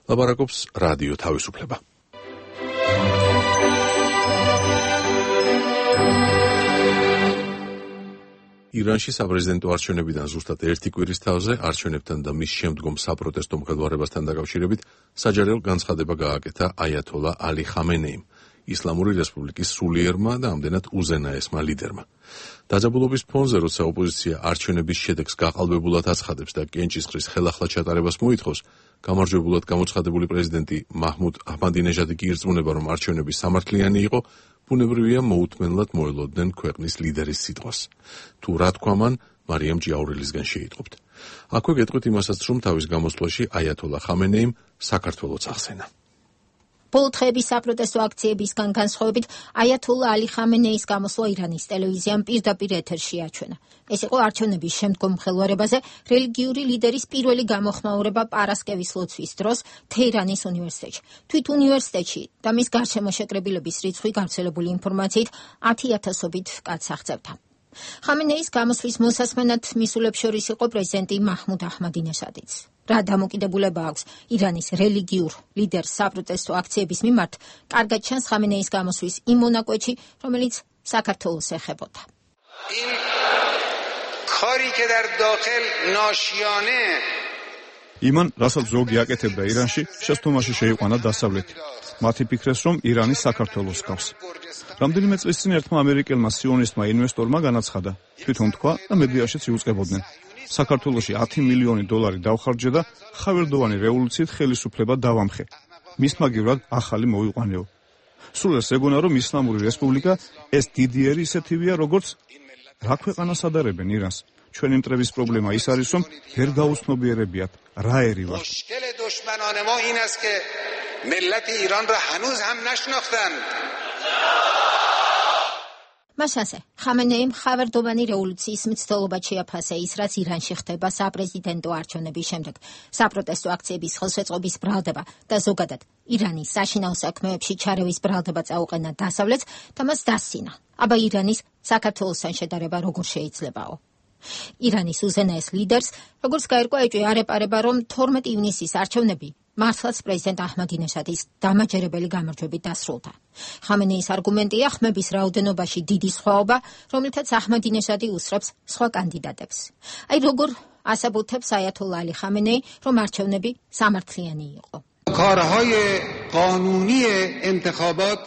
ლაპარაკობს რადიო თავისუფლება. ირანში საპრეზიდენტო არჩევნებიდან ზუსტად ერთი კვირის თავზე არჩევნებთან და მის შემდგომ საპროტესტო მხედვარებასთან დაკავშირებით საჯარელ განცხადება გააკეთა აიათოლა ალი ხამენეიმ, ისლამური რესპუბლიკის სულიერმა და ამდენად უზენაესმა ლიდერმა. დაძაბულობის ფონზე, როცა ოპოზიცია არჩევნების შედეგს გაყალბებულად აცხადებს და კენჭისყრის ხელახლა ჩატარებას მოითხოვს, გამარჯვებულად გამოცხადებული პრეზიდენტი მაჰმუდ აჰმადინეჟადი კი ირწმუნება, რომ არჩევნები სამართლიანი იყო, ბუნებრივია მოუთმენლად მოელოდნენ ქვეყნის ლიდერის სიტყვას. თუ რა თქვა მან, მარიამ ჭიაურელისგან შეიტყობთ. აქვე გეტყვით იმასაც, რომ თავის გამოსვლაში აიათოლა ხამენეიმ საქართველოც ახსენა. ბოლო დღეების საპროტესტო აქციებისგან განსხვავებით, აიათოლა ალი ხამენეის გამოსვლა ირანის ტელევიზიამ პირდაპირ ეთერში აჩვენა. ეს იყო არჩევნების შემდგომ მღელვარებაზე რელიგიური ლიდერის პირველი გამოხმაურება პარასკევის ლოცვის დროს თეირანის უნივერსიტეტში. თვით უნივერსიტეტში და მის გარშემო შეკრებილების რიცხვი გავრცელებული ინფორმაციით ათი ათასობით კაცს აღწევდა. ხამენეის გამოსვლის მოსასმენად მისულებს შორის იყო პრეზიდენტი მაჰმუდ აჰმადინეჟადიც. რა დამოკიდებულება აქვს ირანის რელიგიურ ლიდერს საპროტესტო აქციების მიმართ, კარგად ჩანს ხამენეის გამოსვლის იმ მონაკვეთში, რომელიც საქართველოს ეხებოდა. იმან, რასაც ზოგი აკეთებდა ირანში, შეცდომაში შეიყვანა დასავლეთი. მათი ფიქრეს, რომ ირანი საქართველოს გავს. რამდენიმე წლის წინ ერთმა ამერიკელმა სიონისტმა ინვესტორმა განაცხადა, თვითონ თქვა და მედიაშიც იუწყებოდნენ. საქართველოში ათი მილიონი დოლარი დავხარჯე და ხავერდოვანი რევოლუციით ხელისუფლება დავამხე. მის მაგივრად ახალი მოიყვანეო. სულ ეს ეგონა, რომ ისლამური რესპუბლიკა ეს დიდიერი ისეთივეა, როგორც რა ქვეყანას ადარებენ ირანს. ჩვენი მტრების პრობლემა ის არის, რომ ვერ გაუცნობიერებიათ რა ერი ვართ. მას ასე, ხამენეიმ ხავერდოვანი რევოლუციის მცდელობად შეაფასა ის, რაც ირანში ხდება საპრეზიდენტო არჩევნების შემდეგ, საპროტესტო აქციების ხელშეწყობის ბრალდება და ზოგადად ირანის საშინაო საქმეებში ჩარევის ბრალდება წაუყენა დასავლეთს და მას დასცინა. აბა ირანის საქართველოსთან შედარება როგორ შეიძლებაო? ირანის უზენაეს ლიდერს, როგორც გაირკვა, ეჭვი არ ეპარება, რომ თორმეტი ივნისის არჩევნები მართლაც პრეზიდენტ აჰმადინეჟადის დამაჯერებელი გამარჯვებით დასრულდა. ხამენეის არგუმენტია ხმების რაოდენობაში დიდი სხვაობა, რომლითაც აჰმადინეჟადი უსწრებს სხვა კანდიდატებს. აი როგორ ასაბუთებს აიათოლა ალი ხამენეი, რომ არჩევნები სამართლიანი იყო. کارهای قانونی انتخابات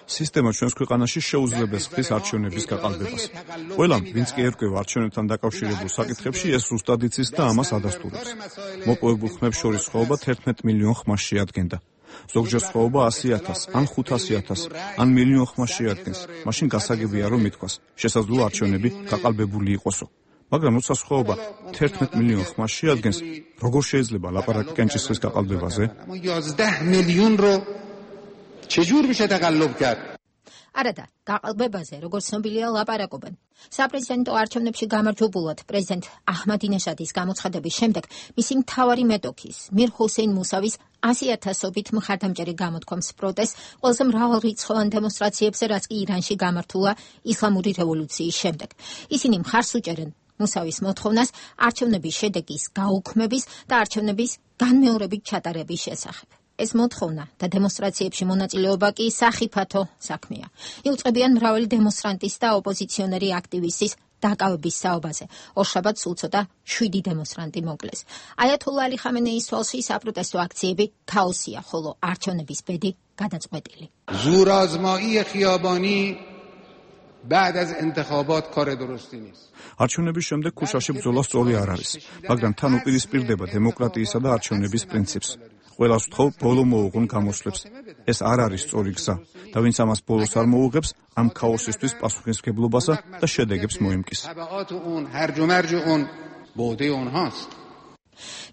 სისტემა ჩვენს ქვეყანაში შეუძლებს ხის არჩევნების გაყალბებას. ყველამ, ვინც კი ერკვევა არჩევნებთან დაკავშირებულ საკითხებში, ეს ზუსტად იცის და ამას ადასტურებს. მოპოვებულ ხმებს შორის სხვაობა თერთმეტ მილიონ ხმას შეადგენდა. ზოგჯერ სხვაობა ასი ათასს, ან ხუთასი ათასს, ან მილიონ ხმას შეადგენს. მაშინ გასაგებია, რომ ითქვას, შესაძლოა არჩევნები გაყალბებული იყოსო. მაგრამ როცა სხვაობა თერთმეტ მილიონ ხმას შეადგენს, როგორ შეიძლება ლაპარაკი კენჭისყრის გაყალბებაზე? یازده میلیون رو چجور میشه تقلب کرد؟ არადა, გაყალბებაზე, როგორც ცნობილია, ლაპარაკობენ. საპრეზიდენტო არჩევნებში გამარჯვებულად პრეზიდენტ აჰმადინეჟადის გამოცხადების შემდეგ მისი მთავარი მეტოქის, მիր ჰუსეინ მუსავის ასი ათასობით მხარდამჭერი გამოთქვამს პროტესტს ყველაზე მრავალრიცხოვან დემონსტრაციებზე, რაც კი ირანში გამართულა ისლამური რევოლუციის შემდეგ. ისინი მხარს უჭერენ მუსავის მოთხოვნას არჩევნების შედეგის გაუქმების და არჩევნების განმეორებით ჩატარების შესახებ. ეს მოთხოვნა და დემონსტრაციებში მონაწილეობა კი სახიფათო საქმეა. იუწყებიან მრავალი დემონსტრანტის და ოპოზიციონერი აქტივისტის დაკავების საუბაზე. ორშაბათს უწოდა შვიდი დემონსტრანტი მოკლეს. აიათოლა ალი ხამენეის თვალში საპროტესტო აქციები ქაოსია, ხოლო არჩევნების ბედი გადაწყვეტილი. زورآزمایی خیابانی بعد از انتخابات کار درستی نیست. არჩევნების შემდეგ ქუჩაში ბრძოლა სწორი არ არის, მაგრამ თან უპირისპირდება დემოკრატიისა და არჩევნების პრინციპს. ყველას ვთხოვ, ბოლო მოუღონ გამოსვლებს. ეს არ არის სწორი გზა და ვინც ამას ბოლოს არ მოუღებს, ამ ქაოსისთვის პასუხისმგებლობასა და შედეგებს მოიმკის.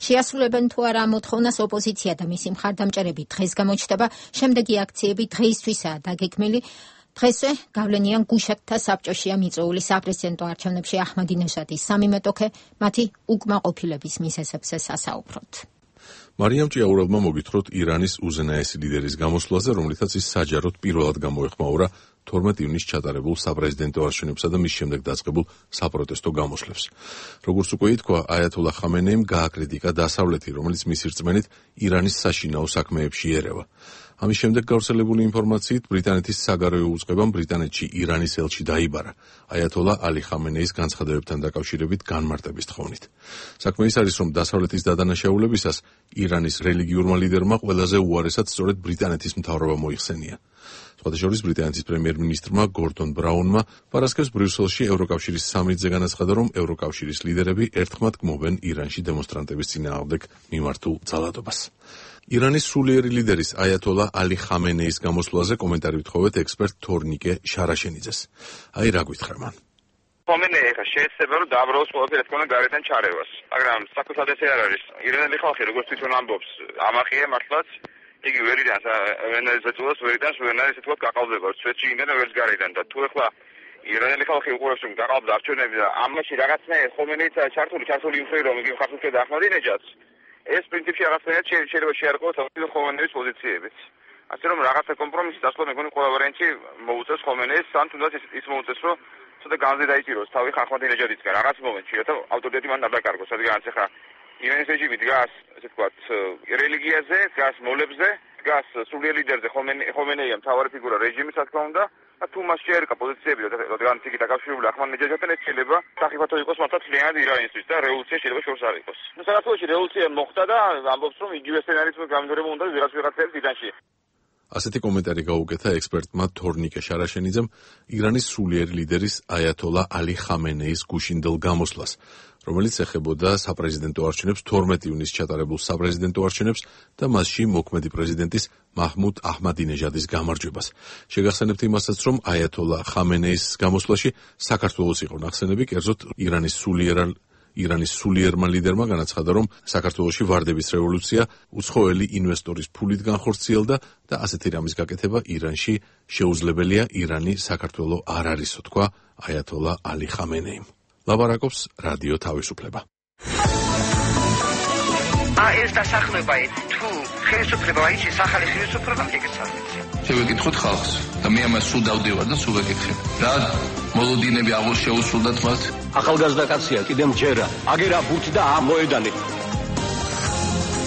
შეასრულებენ თუ არა მოთხოვნას ოპოზიცია და მისი მხარდამჭერები დღეს გამოჩნდება, შემდეგი აქციები დღეისთვისაა დაგეგმილი. დღესვე გავლენიან გუშაკთა საბჭოშია მიწვეული საპრეზიდენტო არჩევნებში აჰმადინეჟადის სამი მეტოქე, მათი უკმაყოფილების მიზეზებზე სასაუბროთ. მარიამ ჭიაურელმა მოგითხროთ ირანის უზენაესი ლიდერის გამოსვლაზე, რომლითაც ის საჯაროდ პირველად გამოეხმაურა თორმეტ ივნისს ჩატარებულ საპრეზიდენტო არჩევნებსა და მის შემდეგ დაწყებულ საპროტესტო გამოსვლებს. როგორც უკვე ითქვა, აიათოლა ხამენეიმ გააკრიტიკა დასავლეთი, რომელიც მისი რწმენით ირანის საშინაო საქმეებში ერევა. ამის შემდეგ გავრცელებული ინფორმაციით ბრიტანეთის საგარეო უწყებამ ბრიტანეთში ირანის ელჩი დაიბარა აიათოლა ალი ხამენეის განცხადებებთან დაკავშირებით განმარტების თხოვნით. საქმე ის არის, რომ დასავლეთის დადანაშაულებისას ირანის რელიგიურმა ლიდერმა ყველაზე უარესად სწორედ ბრიტანეთის მთავრობა მოიხსენია. სხვათა შორის ბრიტანეთის პრემიერ-მინისტრმა გორდონ ბრაუნმა პარასკევს ბრიუსელში ევროკავშირის სამიტზე განაცხადა, რომ ევროკავშირის ლიდერები ერთხმად გმობენ ირანში დემონსტრანტების წინააღმდეგ მიმართულ ძალადობას. ირანის სულიერი ლიდერის აიათოლა ალი ხამენეის გამოსვლაზე კომენტარი ვთხოვეთ ექსპერტ თორნიკე შარაშენიძეს. აი რა გვითხრა მან. ხომეინეი ხა შეეცდება რომ დააბრალოს ყველაფერი თქონა გარედან ჩარევას. მაგრამ საკუთად ესე არ არის. ირანელი ხალხი როგორც თვითონ ამბობს, ამაყია მართლაც იგი ვერიდან ვენეზუელას ვერიდან ვენაის ესე თქვა გაყალბება სვეტში იმენა ვერც გარედან და თუ ეხლა ირანელი ხალხი უყურებს რომ გაყალბდა არჩევნები და ამაში რაღაცნაირად ხომეინეიც ჩართული ჩართული იმხრივ რომ იგი ხალხს ხედა ახმადინეჯადს ეს პრინციპი რაღაცნაირად შეიძლება შეარყოს ხომეინეის პოზიციებით. ასე რომ რაღაცა კომპრომისის დასვლა მეგონი ყველა ვარიანტი მოუწევს ხომეინეის ან თუნდაც ის მოუწევს რომ ცოტა განზე დაიჭიროს თავი ახმადინეჯადისგან რაღაც მომენტში რათა ავტორიტეტი მან დაბაკარგოს რადგან ახლა ირანის რეჟიმი დგას ესე ვთქვათ რელიგიაზე, დგას მოლებზე, დგას სულიერ ლიდერზე ხომეინეია მთავარი ფიგურა რეჟიმის რა თქმა უნდა და თუ მას შეერკა პოზიციები რადგან იგი დაკავშირებული ახმადინეჯადთან ეს შეიძლება საფრთხე იყოს მართლა მთლიანად ირანისთვის და რევოლუცია შეიძლება შორს არ იყოს. ნუ საქართველოში რევოლუცია მოხდა და ამბობს რომ იგივე სცენარით გამიგრება უნდა ვიღაც ვიღაცებს ირანში. ასეთი კომენტარი გაუკეთა ექსპერტმა თორნიკე შარაშენიძემ ირანის სულიერი ლიდერის აიათოლა ალი ხამენეის გუშინდელ გამოსვლას, რომელიც ეხებოდა საპრეზიდენტო არჩევნებს თორმეტი ივნისს ჩატარებულ საპრეზიდენტო არჩევნებს და მასში მოქმედი პრეზიდენტის მაჰმუდ აჰმადინეჟადის გამარჯვებას. შეგახსენებთ იმასაც, რომ აიათოლა ხამენეის გამოსვლაში საქართველოს იყო ნახსენები, კერძოდ ირანის სულიერ ირანის სულიერმა ლიდერმა განაცხადა, რომ საქართველოში ვარდების რევოლუცია უცხოელი ინვესტორის ფულით განხორციელდა და ასეთი რამის გაკეთება ირანში შეუძლებელია, ირანი საქართველო არ არისო, თქვა აიათოლა ალი ხამენეიმ. ლაბარაკობს რადიო თავისუფლება. ა ეს დასახლება თუ ხელისუფლება აიჩის ახალი ხელისუფლება მიგეცადეთ. შევეკითხოთ ხალხს და მე ამას სულ დავდივარ და სულ ვეკითხებ. რა მოლოდინები აღარ შეუსრულდათ მათ? ახალგაზრდა კაცია, კიდე მჯერა. აგერა ბურთი და ამოედანი.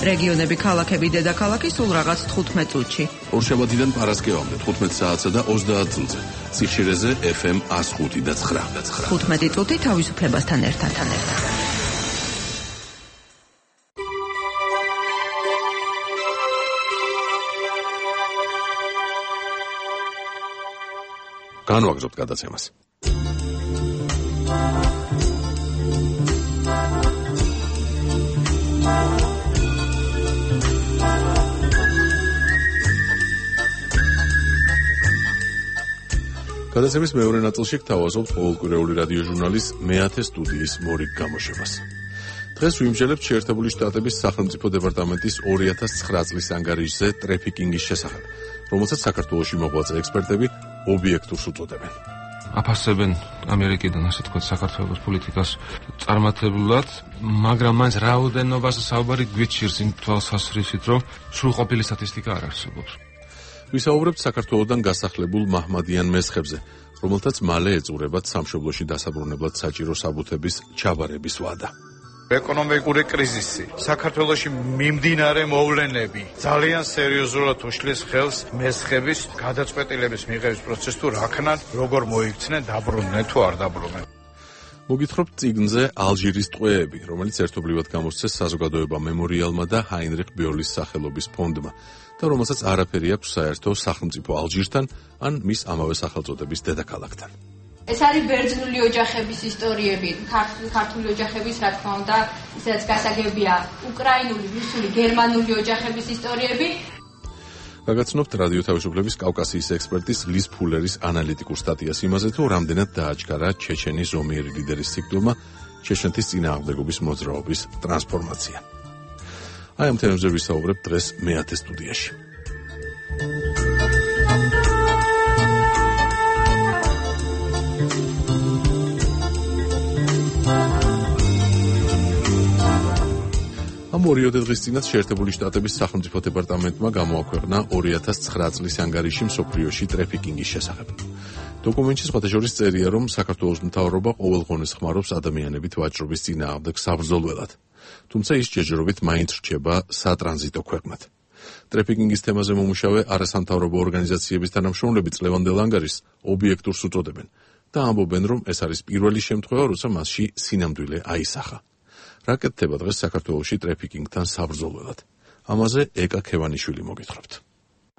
რეგიონები, ქალაქები, დედაქალაქი სულ რაღაც თხუთმეტ წუთში. ორშაბათიდან პარასკევამდე თხუთმეტ საათსა და ოცდაათ წუთზე. ციხშირეზე ეფ ემ εκას ხუთი და ცხრა. თხუთმეტი წუთი თავისუფლებასთან ერთად. განვაგრძობთ გადაცემას. გადაცემის მეორე ნაწილში გთავაზობთ ყოველკვირეული რადიო ჟურნალის მეათე სტუდიის მორიგ გამოშვებას. დღეს ვიმსჯელებთ შეერთებული შტატების სახელმწიფო დეპარტამენტის ორი ათას ცხრა წლის ანგარიშზე ტრეფიკინგის შესახებ, რომელსაც საქართველოში მოღვაწე ექსპერტები ობიექტურს უწოდებენ. აფასებენ ამერიკიდან, ასე თქვა, საქართველოს პოლიტიკას წარმატებულად, მაგრამ მაინც რაოდენობაზე საუბარი გვიჩირს იმ თვალსაზრისით, რომ სრულყოფილი სტატისტიკა არ არსებობს. ვისაუბრებთ საქართველოსთან გასახლებულ მაჰმადიან მესხებზე, რომელთაც მალე ეწურებათ სამშობლოში დასაბრუნებლად საჭირო საბუთების ჩაბარების ვადა. ეკონომიკური კრიზისი, საქართველოში მიმდინარე მოვლენები ძალიან სერიოზულად უშლის ხელს მესხების გადაწყვეტილების მიღების პროცესს თუ რაქნან როგორ მოიქცნენ, დაბრუნდნენ თუ არ დაბრუნდნენ. მოგითხრობთ წიგნზე ალჟირის ტყვეები, რომელიც ერთობლივად გამოსცეს საზოგადოება მემორიალმა და ჰაინრიხ ბიოლის სახელობის ფონდმა და რომელსაც არაფერი აქვს საერთო სახელმწიფო ალჟირთან ან მის ამავე სახელწოდების დედაქალაქთან. ეს არის ბერძნული ოჯახების ისტორიები, ქართული ოჯახების, რა თქმა უნდა, ისაც გასაგებია, უკრაინული, რუსული, გერმანული ოჯახების ისტორიები. გაგაცნობთ რადიო თავისუფლების კავკასიის ექსპერტის ლის ფულერის ანალიტიკურ სტატიას იმაზე, თუ რამდენად დააჩქარა ჩეჩენის ზომიერი ლიდერის სიკვდილმა ჩეჩნეთის წინააღმდეგობის მოძრაობის ტრანსფორმაცია. აი ამ თემებზე ვისაუბრებთ დღეს მეათე სტუდიაში. ამ ორიოდე დღის წინათ შეერთებული შტატების სახელმწიფო დეპარტამენტმა გამოაქვეყნა ორი ათას ცხრა წლის ანგარიში მსოფლიოში ტრეფიკინგის შესახებ. დოკუმენტში სხვათაშორის წერია, რომ საქართველოს მთავრობა ყოველღონეს ხმარობს ადამიანებით ვაჭრობის წინააღმდეგ საბრძოლველად. თუმცა ის ჯერჯერობით მაინც რჩება სატრანზიტო ქვეყნად. ტრეფიკინგის თემაზე მომუშავე არასამთავრობო ორგანიზაციების თანამშრომლები წლევანდელ ანგარიშს ობიექტურს უწოდებენ და ამბობენ, რომ ეს არის პირველი შემთხვევა, როცა მასში სინამდვილე აისახა. რა კეთდება დღეს საქართველოში ტრეფიკინგთან საბრძოლველად? ამაზე ეკა ქევანიშვილი მოგითხრობთ.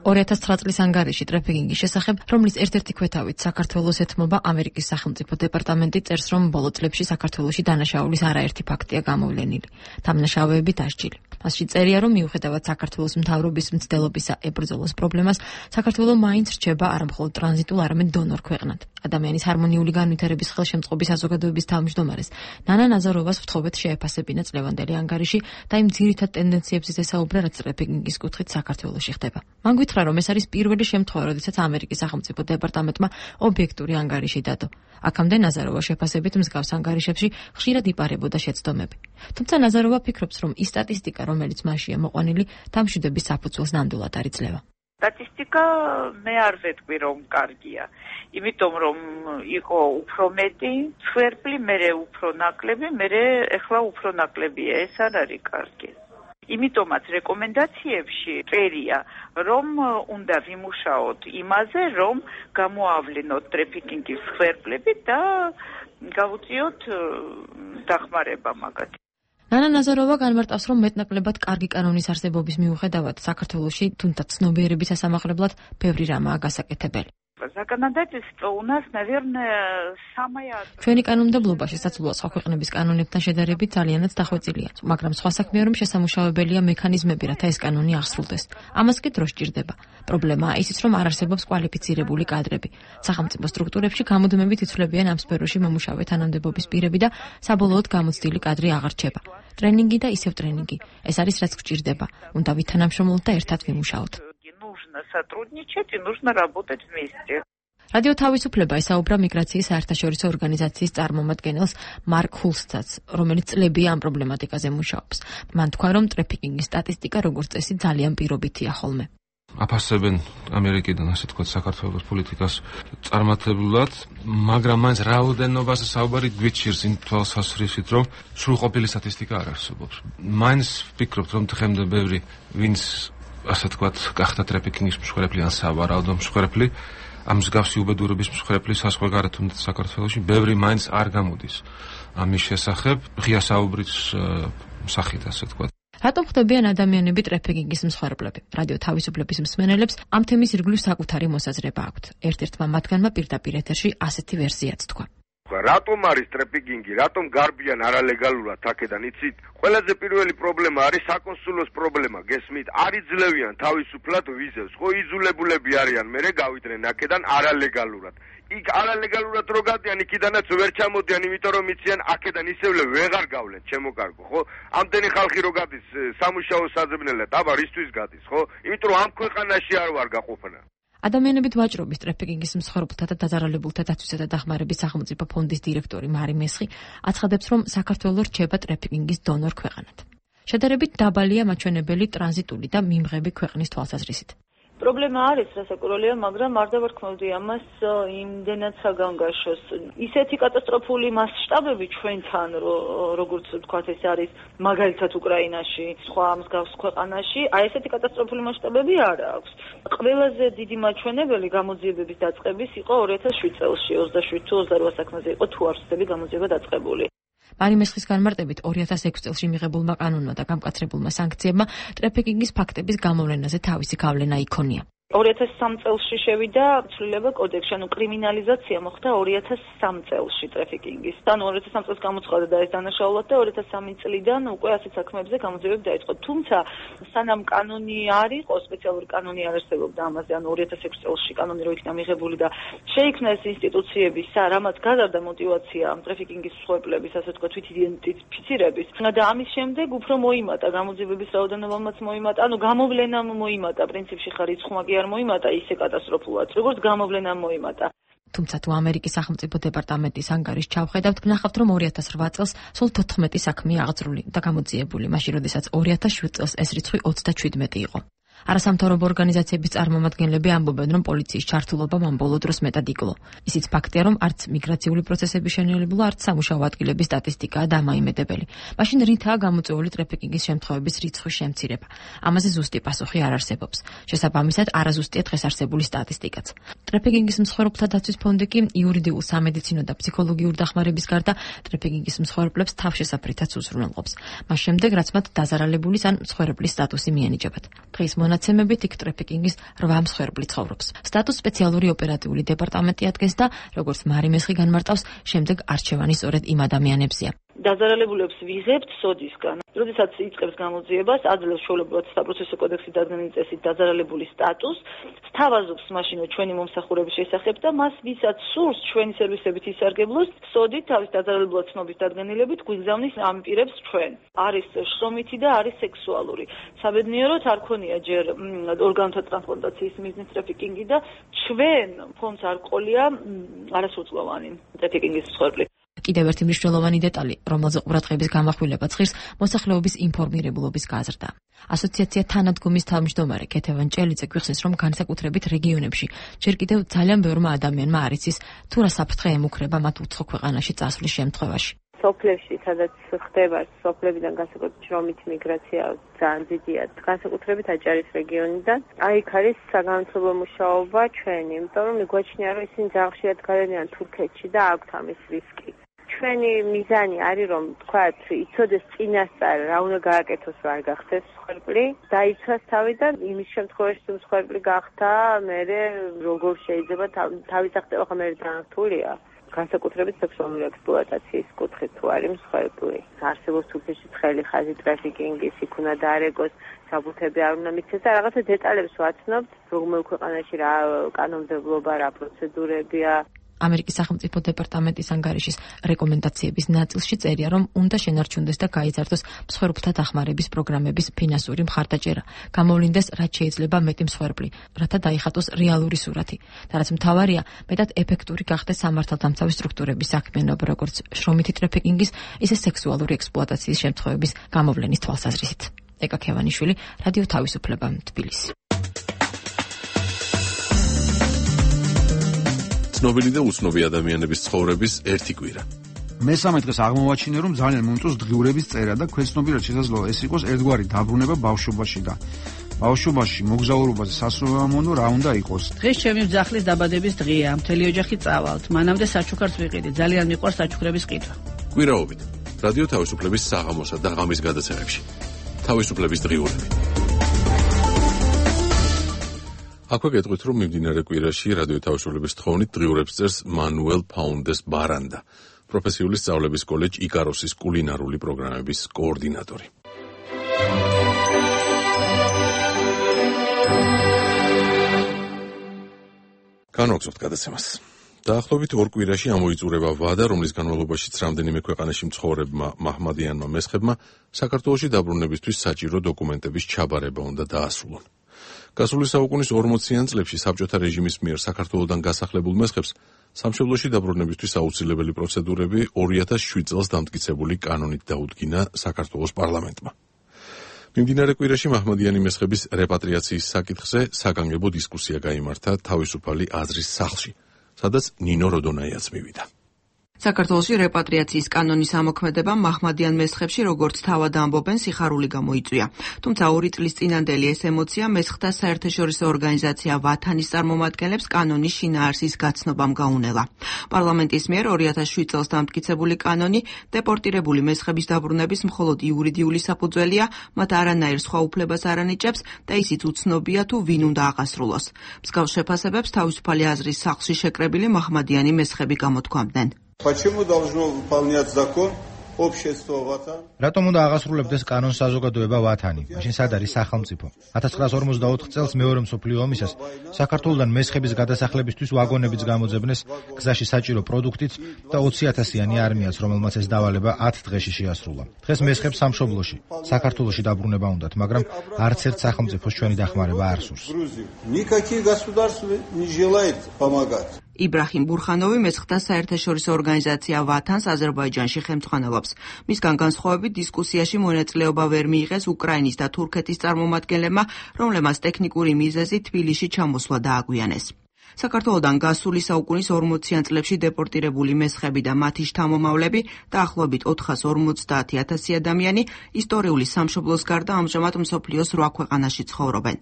ორი ათას ცხრა წლის ანგარიში ტრეფიკინგის შესახებ, რომლის ერთ-ერთი ქვეთავით საქართველოს ეთმობა ამერიკის სახელმწიფო დეპარტამენტი, წერს, რომ ბოლო წლებში საქართველოში დანაშაულის არაერთი ფაქტია გამოვლენილი. დამნაშავეები დასჯილი. მასში წერია, რომ მიუხედავად საქართველოს მთავრობის მცდელობისა ებრძოლოს პრობლემას, საქართველო მაინც რჩება არა მხოლოდ ტრანზიტულ, არამედ დონორ ქვეყნად. ადამიანის ჰარმონიული განვითარების ხელშემწყობის საზოგადოების თავმჯდომარეს ნანა ნაზაროვას ვთხოვეთ შეეფასებინა წლევანდელი ანგარიში და იმ ძირითად ტენდენციებზე ესაუბრა, რაც ტრაფიკინგის კუთხით საქართველოში ხდება. მან გითხრა, რომ ეს არის პირველი შემთხვევა, როდესაც ამერიკის სახელმწიფო დეპარტამენტმა ობიექტური ანგარიში დადო. აქამდე ნაზაროვა შეფასებით მსგავს ანგარიშებში ხშირად იპარებოდა შეცდომები. თუმცა ნაზაროვა ფიქრობს, რომ ის სტატისტიკა, რომელიც მასშია მოყვანილი, დამშვიდების საფუძველს ნამდვილად არ იძლევა. სტატისტიკა მე არ ვეთქვი, რომ კარგია. იმიტომ რომ იყო უფრო მეტი ცხვერპლი, მერე უფრო ნაკლები, მერე ეხლა უფრო ნაკლებია. ეს არ არის კარგი. იმიტომაც რეკომენდაციებში წერია, რომ უნდა ვიმუშაოთ იმაზე, რომ გამოავლინოთ ტრაფიკინგის ცხვერპლები და გავუწიოთ დახმარება მაგათ. ნანა ნაზაროვა განმარტავს, რომ მეტნაკლებად კარგი კანონის არსებობის მიუხედავად საქართველოში თუნდაც ცნობიერების სასამაღლებლად ბევრი რამაა გასაკეთებელი. Законодательство у нас, наверное, самое... ჩვენი კანონმდებლობაში საცვლოა სხვა ქვეყნების კანონებთან შედარებით ძალიანაც დახვეწილია, მაგრამ სხვა საქმეა, რომ შესამუშავებელია მექანიზმები, რათა ეს კანონი აღსრულდეს. ამას კი დრო სჭირდება. პრობლემაა ისიც, რომ არ არსებობს კვალიფიცირებული კადრები. სახელმწიფო სტრუქტურებში გამუდმებით იცვლებიან ამ სფეროში მომუშავე თანამდებობის პირები და საბოლოოდ გამოცდილი კადრი აღარ რჩება. ტრენინგი და ისევ ტრენინგი. ეს არის რაც გვჭირდება. უნდა ვითანამშრომლოთ და ერთად ვიმუშაოთ. Нужно сотрудничать и нужно работать вместе. რადიო თავისუფლება ესაუბრა მიგრაციის საერთაშორისო ორგანიზაციის წარმომადგენელს მარკ ჰულსცაც, რომელიც წლებია ამ პრობლემატიკაზე მუშაობს. მან თქვა, რომ ტრაფიკინგის სტატისტიკა როგორც წესი ძალიან პირობითია ხოლმე. აფასებენ ამერიკიდან, ასე თქვა, საქართველოს პოლიტიკას წარმატებულად, მაგრამ მაინც რაოდენობაზე საუბარი გვიჩირს იმ თვალსაზრისით, რომ სრულყოფილი სტატისტიკა არ არსებობს. მაინც ვფიქრობთ, რომ დღემდე ბევრი ვინც ასე თქვათ, გახდა ტრაფიკინგის მსხვერპლი ან სავარაუდო მსხვერპლი, ამ მსგავსი უბედურების მსხვერპლი საზღვარგარეთ თუნდაც საქართველოში ბევრი მაინც არ გამოდის ამის შესახებ, ღია საუბრის სახით, ასე თქვათ. რატომ ხდებიან ადამიანები ტრაფიკინგის მსხვერპლები? რადიო თავისუფლების მსმენელებს ამ თემის ირგვლივ საკუთარი მოსაზრება აქვთ. ერთ-ერთმა მათგანმა პირდაპირ ეთერში ასეთი ვერსიაც თქვა. რატომ არის ტრაფიკინგი, რატომ გარბიან არალეგალურად აქედან, იცით? ყველაზე პირველი პრობლემა არის საკონსულოს პრობლემა, გესმით? არ იძლევიან თავისუფლად ვიზებს, ხო იძულებულები არიან მერე გავიდნენ აქედან არალეგალურად. იქ არალეგალურად რო გადიან, იქიდანაც ვერ ჩამოდიან, იმიტომ რომ იციან აქედან ისევლე ვეღარ გავლენ, ჩემო კარგო, ხო? ამდენი ხალხი რო გადის სამუშაო საძებნელად, აბა რისთვის გადის, ხო? იმიტომ რომ ამ ქვეყანაში არ ვარ გაყოფნა. ადამიანებით ვაჭრობის ტრაფიკინგის მსხვერპლთა და დაზარალებულთა დაცვისა და დახმარების სახელმწიფო ფონდის დირექტორი მარი მესხი აცხადებს, რომ საქართველო რჩება ტრაფიკინგის დონორ ქვეყანად. შედარებით დაბალია მაჩვენებელი ტრანზიტული და მიმღები ქვეყნის თვალსაზრისით. პრობლემა არის რასაკურველია, მაგრამ არ დავარქმევდი ამას იმდენად საგანგაშოს. ისეთი კატასტროფული მასშტაბები ჩვენთან, როგორც ვთქვათ, ეს არის მაგალითად უკრაინაში, სხვა მსგავს ქვეყანაში, აი ესეთი კატასტროფული მასშტაბები არ აქვს. ყველაზე დიდი მაჩვენებელი გამოძიებების დაწყების იყო ორი ათას შვიდ წელს, ოცდაშვიდ თუ ოცდარვა საქმეზე იყო თუ არ ვცდები გამოძიება დაწყებული. მარი მესხის განმარტებით ორი ათას ექვსი წელს მიღებულმა კანონმა და გამკაცრებულმა სანქციებმა ტრაფიკინგის ფაქტების გამოვლენაზე თავისი გავლენა იქონია. ორი ათას სამი წელსში შევიდა ცვლილება კოდექსში, ანუ კრიმინალიზაცია მოხდა ორი ათას სამი წელსში ტრაფიკინგის. ანუ ორი ათას სამი წელს გამოცხადა და ეს დანაშაულად და ორი ათას სამი წლიდან უკვე ასეთ საქმეებზე გამოძიებები დაიწყო. თუმცა სანამ კანონი არ იყო, სპეციალური კანონი არ არსებობდა ამაზე, ანუ ორი ათას ექვსი წელსში კანონი რო იქნა მიღებული და შეიქმნა ეს ინსტიტუციების, რამაც გაზარდა мотиваცია ამ ტრაფიკინგის მსხვერპლების, ასე თქვა, თვითიდენტიფიცირების და ამის შემდეგ უფრო მოიმატა გამოძიებების რაოდენობამაც მოიმატა, ანუ გამოვლენამ მოიმატა, პრინციპში ხარიცხმაკი არ მოიმატა ისე კატასტროფულად, როგორც გამოვლენამ მოიმატა. თუმცა თუ ამერიკის სახელმწიფო დეპარტამენტის ანგარიშს ჩავხედავთ, გნახავთ, რომ ორი ათას რვა წელს სულ თოთხმეტი საქმეა აღძრული და გამოძიებული, მაშინ როდესაც ორი ათას შვიდ წელს ეს რიცხვი ოცდაშვიდმეტი იყო. არასამთავრობო ორგანიზაციების წარმომადგენლები ამბობენ, რომ პოლიციის ჩართულობამ ამ ბოლო დროს მეტად იკლო. ისიც ფაქტია, რომ არც მიგრაციული პროცესების შენელებული, არც სამუშაო ადგილების სტატისტიკაა დამაიმედებელი. მაშინ რითაა გამოწვეული ტრაფიკინგის შემთხვევების რიცხვის შემცირება? ამაზე ზუსტი პასუხი არ არსებობს. შესაბამისად, არაზუსტია დღეს არსებული სტატისტიკაც. ტრაფიკინგის მსხვერპლთა დაცვის ფონდი კი იურიდიულ, სამედიცინო და ფსიქოლოგიურ დახმარების გარდა ტრაფიკინგის მსხვერპლებს თავშესაფრითაც უზრუნველყოფს. მას შემდეგ, რაც მათ დაზარალებულის ან მსხვერპლის სტატუსი მიენიჭებათ. დღის მონაცემებით იქ ტრაფიკინგის რვა მსხვერპლი ცხოვრობს. სტატუს სპეციალური ოპერატიული დეპარტამენტი ადგენს და როგორც მარი მესხი განმარტავს, შემდეგ არჩევანი სწორედ იმ ადამიანებზეა. დაზარალებულებს ვიღებთ სოდისგან. როდესაც იწყებს გამოძიებას, აძლევს ჩვეულებრივად საპროცესო კოდექსის დადგენილი წესით დაზარალებული სტატუსს, სთავაზობს მაშინ ჩვენი მომსახურების შესახებ და მას ვისაც სურს ჩვენი სერვისებით ისარგებლოს, სოდით თავის დაზარალებულად ცნობის დადგენილებით გვიგზავნის ამ პირებს ჩვენ. არის შრომითი და არის სექსუალური. საბედნიეროდ არ ქონია ჯერ ორგანოთა ტრანსპლანტაციის მიზნის ტრაფიკინგი და ჩვენ ფონდს არ ყოლია არასრულწლოვანი ტრაფიკინგის მსხვერპლი. კიდევ ერთი მნიშვნელოვანი დეტალი, რომელზე ყურადღების გამახვილებაც ღირს, მოსახლეობის ინფორმირებულობის გაზრდა. ასოციაცია თანადგომის თავმჯდომარე ქეთევან ჭელიძე გვიხსნის, რომ განსაკუთრებით რეგიონებში ჯერ კიდევ ძალიან ბევრმა ადამიანმა არ იცის, თუ რა საფრთხე ემუქრება მათ უცხო ქვეყანაში წასვლის შემთხვევაში. სოფლებში, სადაც ხდება სოფლებიდან განსაკუთრებით შრომითი მიგრაცია ძალიან დიდია, განსაკუთრებით აჭარის რეგიონიდან. აი იქ არის საგანმანათლებლო მუშაობა ჩვენი, იმიტომ რომ მიგვაჩნია, რომ ისინი ძალიან ხშირად გადადიან თურქეთში და აქვთ ამის რისკი. ჩვენი მიზანი არის, რომ თქვათ, იცოდეს წინასწარ რა უნდა გააკეთოს, რა არ გახდეს მსხვერპლი, დაიცვას თავი და იმის შემთხვევაში თუ მსხვერპლი გახდა, მერე როგორ შეიძლება თავის აღწევა ხომ მე დანართულია. განსაკუთრებით სექსუალური ექსპლუატაციის კუთხით თუ არის მსხვერპლი. არსებობს თურქეთში ცხელი ხაზი ტრაფიკინგის, იქ უნდა დაარეგოს, საბუთები არ უნდა მიცეს და რაღაცა დეტალებს ვაცნობთ, რომელ ქვეყანაში რა კანონმდებლობა, რა პროცედურებია. ამერიკის სახელმწიფო დეპარტამენტის ანგარიშის რეკომენდაციების ნაწილში წერია, რომ უნდა შენარჩუნდეს და გაიზარდოს მსხვერპლთა დახმარების პროგრამების ფინანსური მხარდაჭერა, გამოვლინდეს რაც შეიძლება მეტი მსხვერპლი, რათა დაიხატოს რეალური სურათი. და რაც მთავარია, მეტად ეფექტური გახდეს სამართალდამცავი სტრუქტურების საქმიანობა, როგორც შრომითი ტრაფიკინგის, ისე სექსუალური ექსპლუატაციის შემთხვევების გამოვლენის თვალსაზრისით. ეკა ქევანიშვილი, რადიო თავისუფლება, თბილისი. ცნობილი და უცნობი ადამიანების ცხოვრების ერთი კვირა. მესამე დღეს აღმოვაჩინე, რომ ძალიან მომწონს დღიურების წერა და ქვეცნობიერად შესაძლოა ეს იყოს ერთგვარი დაბრუნება ბავშვობაში და ბავშვობაში მოგზაურობაზე სასურველმონო რა უნდა იყოს. დღეს ჩემი ძახლის დაბადების დღეა, მთელი ოჯახი წავალთ. მანამდე საჩუქარს ვიყიდი, ძალიან მიყვარს საჩუქრების ყიდვა. კვირაობით რადიო თავისუფლების საღამოსა და ღამის გადაცემებში. თავისუფლების დღიურები. აქვე გეტყვით, რომ მიმდინარე კვირაში რადიო თავისუფლების თხოვნით დღიურებს წერს მანუელ ფაუნდეს ბარანდა, პროფესიული სწავლების კოლეჯ იკაროსის კულინარული პროგრამების კოორდინატორი. განვაგრძობთ გადაცემას. დაახლოებით ორ კვირაში ამოიწურება ვადა, რომლის განმავლობაშიც რამდენიმე ქვეყანაში მცხოვრებმა მაჰმადიანმა მესხებმა საქართველოში დაბრუნებისთვის საჭირო დოკუმენტების ჩაბარება უნდა დაასრულონ. გასული საუკუნის ორმოციან წლებში საბჭოთა რეჟიმის მიერ საქართველოდან გასახლებულ მესხებს სამშობლოში დაბრუნებისთვის აუცილებელი პროცედურები ორი ათას შვიდ წელს დამტკიცებული კანონით დაუდგინა საქართველოს პარლამენტმა. მიმდინარე კვირაში მაჰმადიანი მესხების რეპატრიაციის საკითხზე საგანგებო დისკუსია გაიმართა თავისუფალი აზრის სახლში, სადაც ნინო როდონაიაც მივიდა. საქართველოში რეპატრიაციის კანონის ამოქმედება მაჰმადიან მესხებში, როგორც თავად ამბობენ, სიხარული გამოიწვია. თუმცა ორი წლის წინანდელი ეს ემოცია მესხთა საერთაშორისო ორგანიზაცია ვათანის წარმომადგენლებს კანონის შინაარსის გაცნობამ გაუნელა. პარლამენტის მიერ ორი ათას შვიდ წელს დამტკიცებული კანონი დეპორტირებული მესხების დაბრუნების მხოლოდ იურიდიული საფუძველია, მათ არანაირ სხვა უფლებას არ ანიჭებს და ისიც უცნობია თუ ვინ უნდა აღასრულოს. მსგავს შეფასებებს თავისუფალი აზრის სახლში შეკრებილი მაჰმადიანი მესხები გამოთქვამდნენ. Почему должно выполнять закон общество Ватан? რატომ უნდა აღასრულებდეს კანონს საზოგადოება ვათანი? მაშინ სად არის სახელმწიფო? ათას ცხრაას ორმოცდაოთხ წელს მეორე მსოფლიო ომისას საქართველოსთან მესხების გადასახლებისთვის ვაგონებიც გამოძებნეს გზაში საჭირო პროდუქტით და ოცი ათასიანი არმიაც, რომელმაც ეს დავალება ათ დღეში შეასრულა. დღეს მესხებს სამშობლოში, საქართველოში დაბრუნება უნდათ, მაგრამ არც ერთ სახელმწიფოს ჩვენი დახმარება არ სურს. Никаких государств не желает помогать. იბრაჰიმ ბურხანოვი მესხთა საერთაშორისო ორგანიზაცია ვათანს აზერბაიჯანში ხელმძღვანელობს. მისგან განსხვავებით დისკუსიაში მონაწილეობა ვერ მიიღეს უკრაინის და თურქეთის წარმომადგენლებმა, რომლებმაც ტექნიკური მიზეზი თბილისში ჩამოსვლა დააგვიანეს. საქართველოდან გასული საუკუნის ორმოციან წლებში დეპორტირებული მესხები და მათი შთამომავლები დაახლოებით ოთხას ორმოცდაათი ათასი ადამიანი ისტორიული სამშობლოს გარდა ამჟამად მსოფლიოს რვა ქვეყანაში ცხოვრობენ.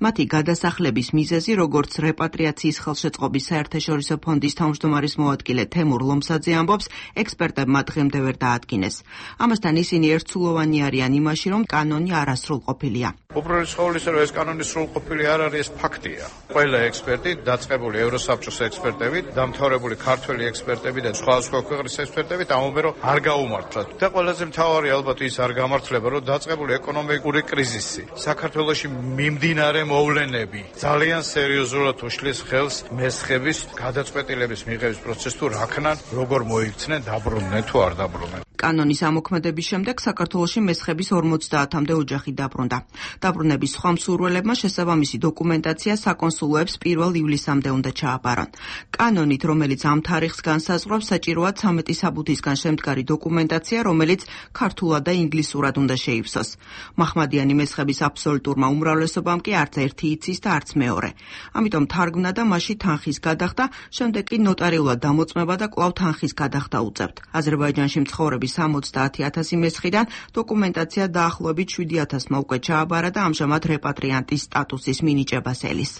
მათი გადასახლების მიზეზი, როგორც რეპატრიაციის ხელშეწყობის საერთაშორისო ფონდის თავმჯდომარის მოადგილე თემურ ლომსაძე ამბობს, ექსპერტებმა დღემდე ვერ დაადგინეს. ამასთან ისინი ერთსულოვანი არიან იმაში, რომ კანონი არასრულყოფილია. უპირველეს ყოვლისა, რომ ეს კანონი სრულყოფილი არ არის, ეს ფაქტია. ყველა ექსპერტი დაწყება დაწყებული ევროსაბჭოს ექსპერტებით, დამთავრებული ქართველი ექსპერტები და სხვადასხვა ქვეყნის ექსპერტებით ამბობენ, რომ არ გაუმართლათ. და ყველაზე მთავარი ალბათ ის არ გამართლება, რომ დაწყებული ეკონომიკური კრიზისი, საქართველოში მიმდინარე მოვლენები ძალიან სერიოზულად უშლის ხელს მესხების გადაწყვეტილების მიღების პროცესს თუ რაქნან, როგორ მოიქცნენ, დაბრუნდნენ თუ არ დაბრუნდნენ. კანონის ამოქმედების შემდეგ საქართველოში მესხების ორმოცდაათამდე ოჯახი დაბრუნდა. დაბრუნების სხვა მსურველებმა შესაბამისი დოკუმენტაცია საკონსულოებს პირველ ივლისამდე უნდა ჩააბარონ. კანონით, რომელიც ამ თარიღს განსაზღვრავს, საჭიროა ცამეტი საბუთისგან შემდგარი დოკუმენტაცია, რომელიც ქართულად და ინგლისურად უნდა შეივსოს. მაჰმადიანი მესხების აბსოლუტურმა უმრავლესობამ კი არც ერთი იცის და არც მეორე. ამიტომ თარგმნა და მასში თანხის გადახდა, შემდეგ კი ნოტარიულად დამოწმება და კვლავ თანხის გადახდა უწევთ. აზერბაიჯანში მცხოვრები სამოცდაათი ათასი მესხიდან დოკუმენტაცია დაახლოებით შვიდი ათასმა უკვე ჩააბარა და ამჟამად რეპატრიანტის სტატუსის მინიჭებას ელის.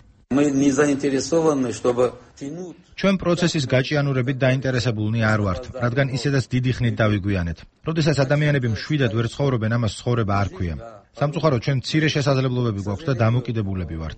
ჩვენ პროცესის გაჭიანურებით დაინტერესებულნი არ ვართ, რადგან ისედაც დიდი ხნით დავიგვიანეთ. როდესაც ადამიანები მშვიდად ვერ ცხოვრობენ, ამას ცხოვრება არ ქვია. სამწუხაროდ ჩვენ მცირე შესაძლებლობები გვაქვს და დამოკიდებულები ვართ.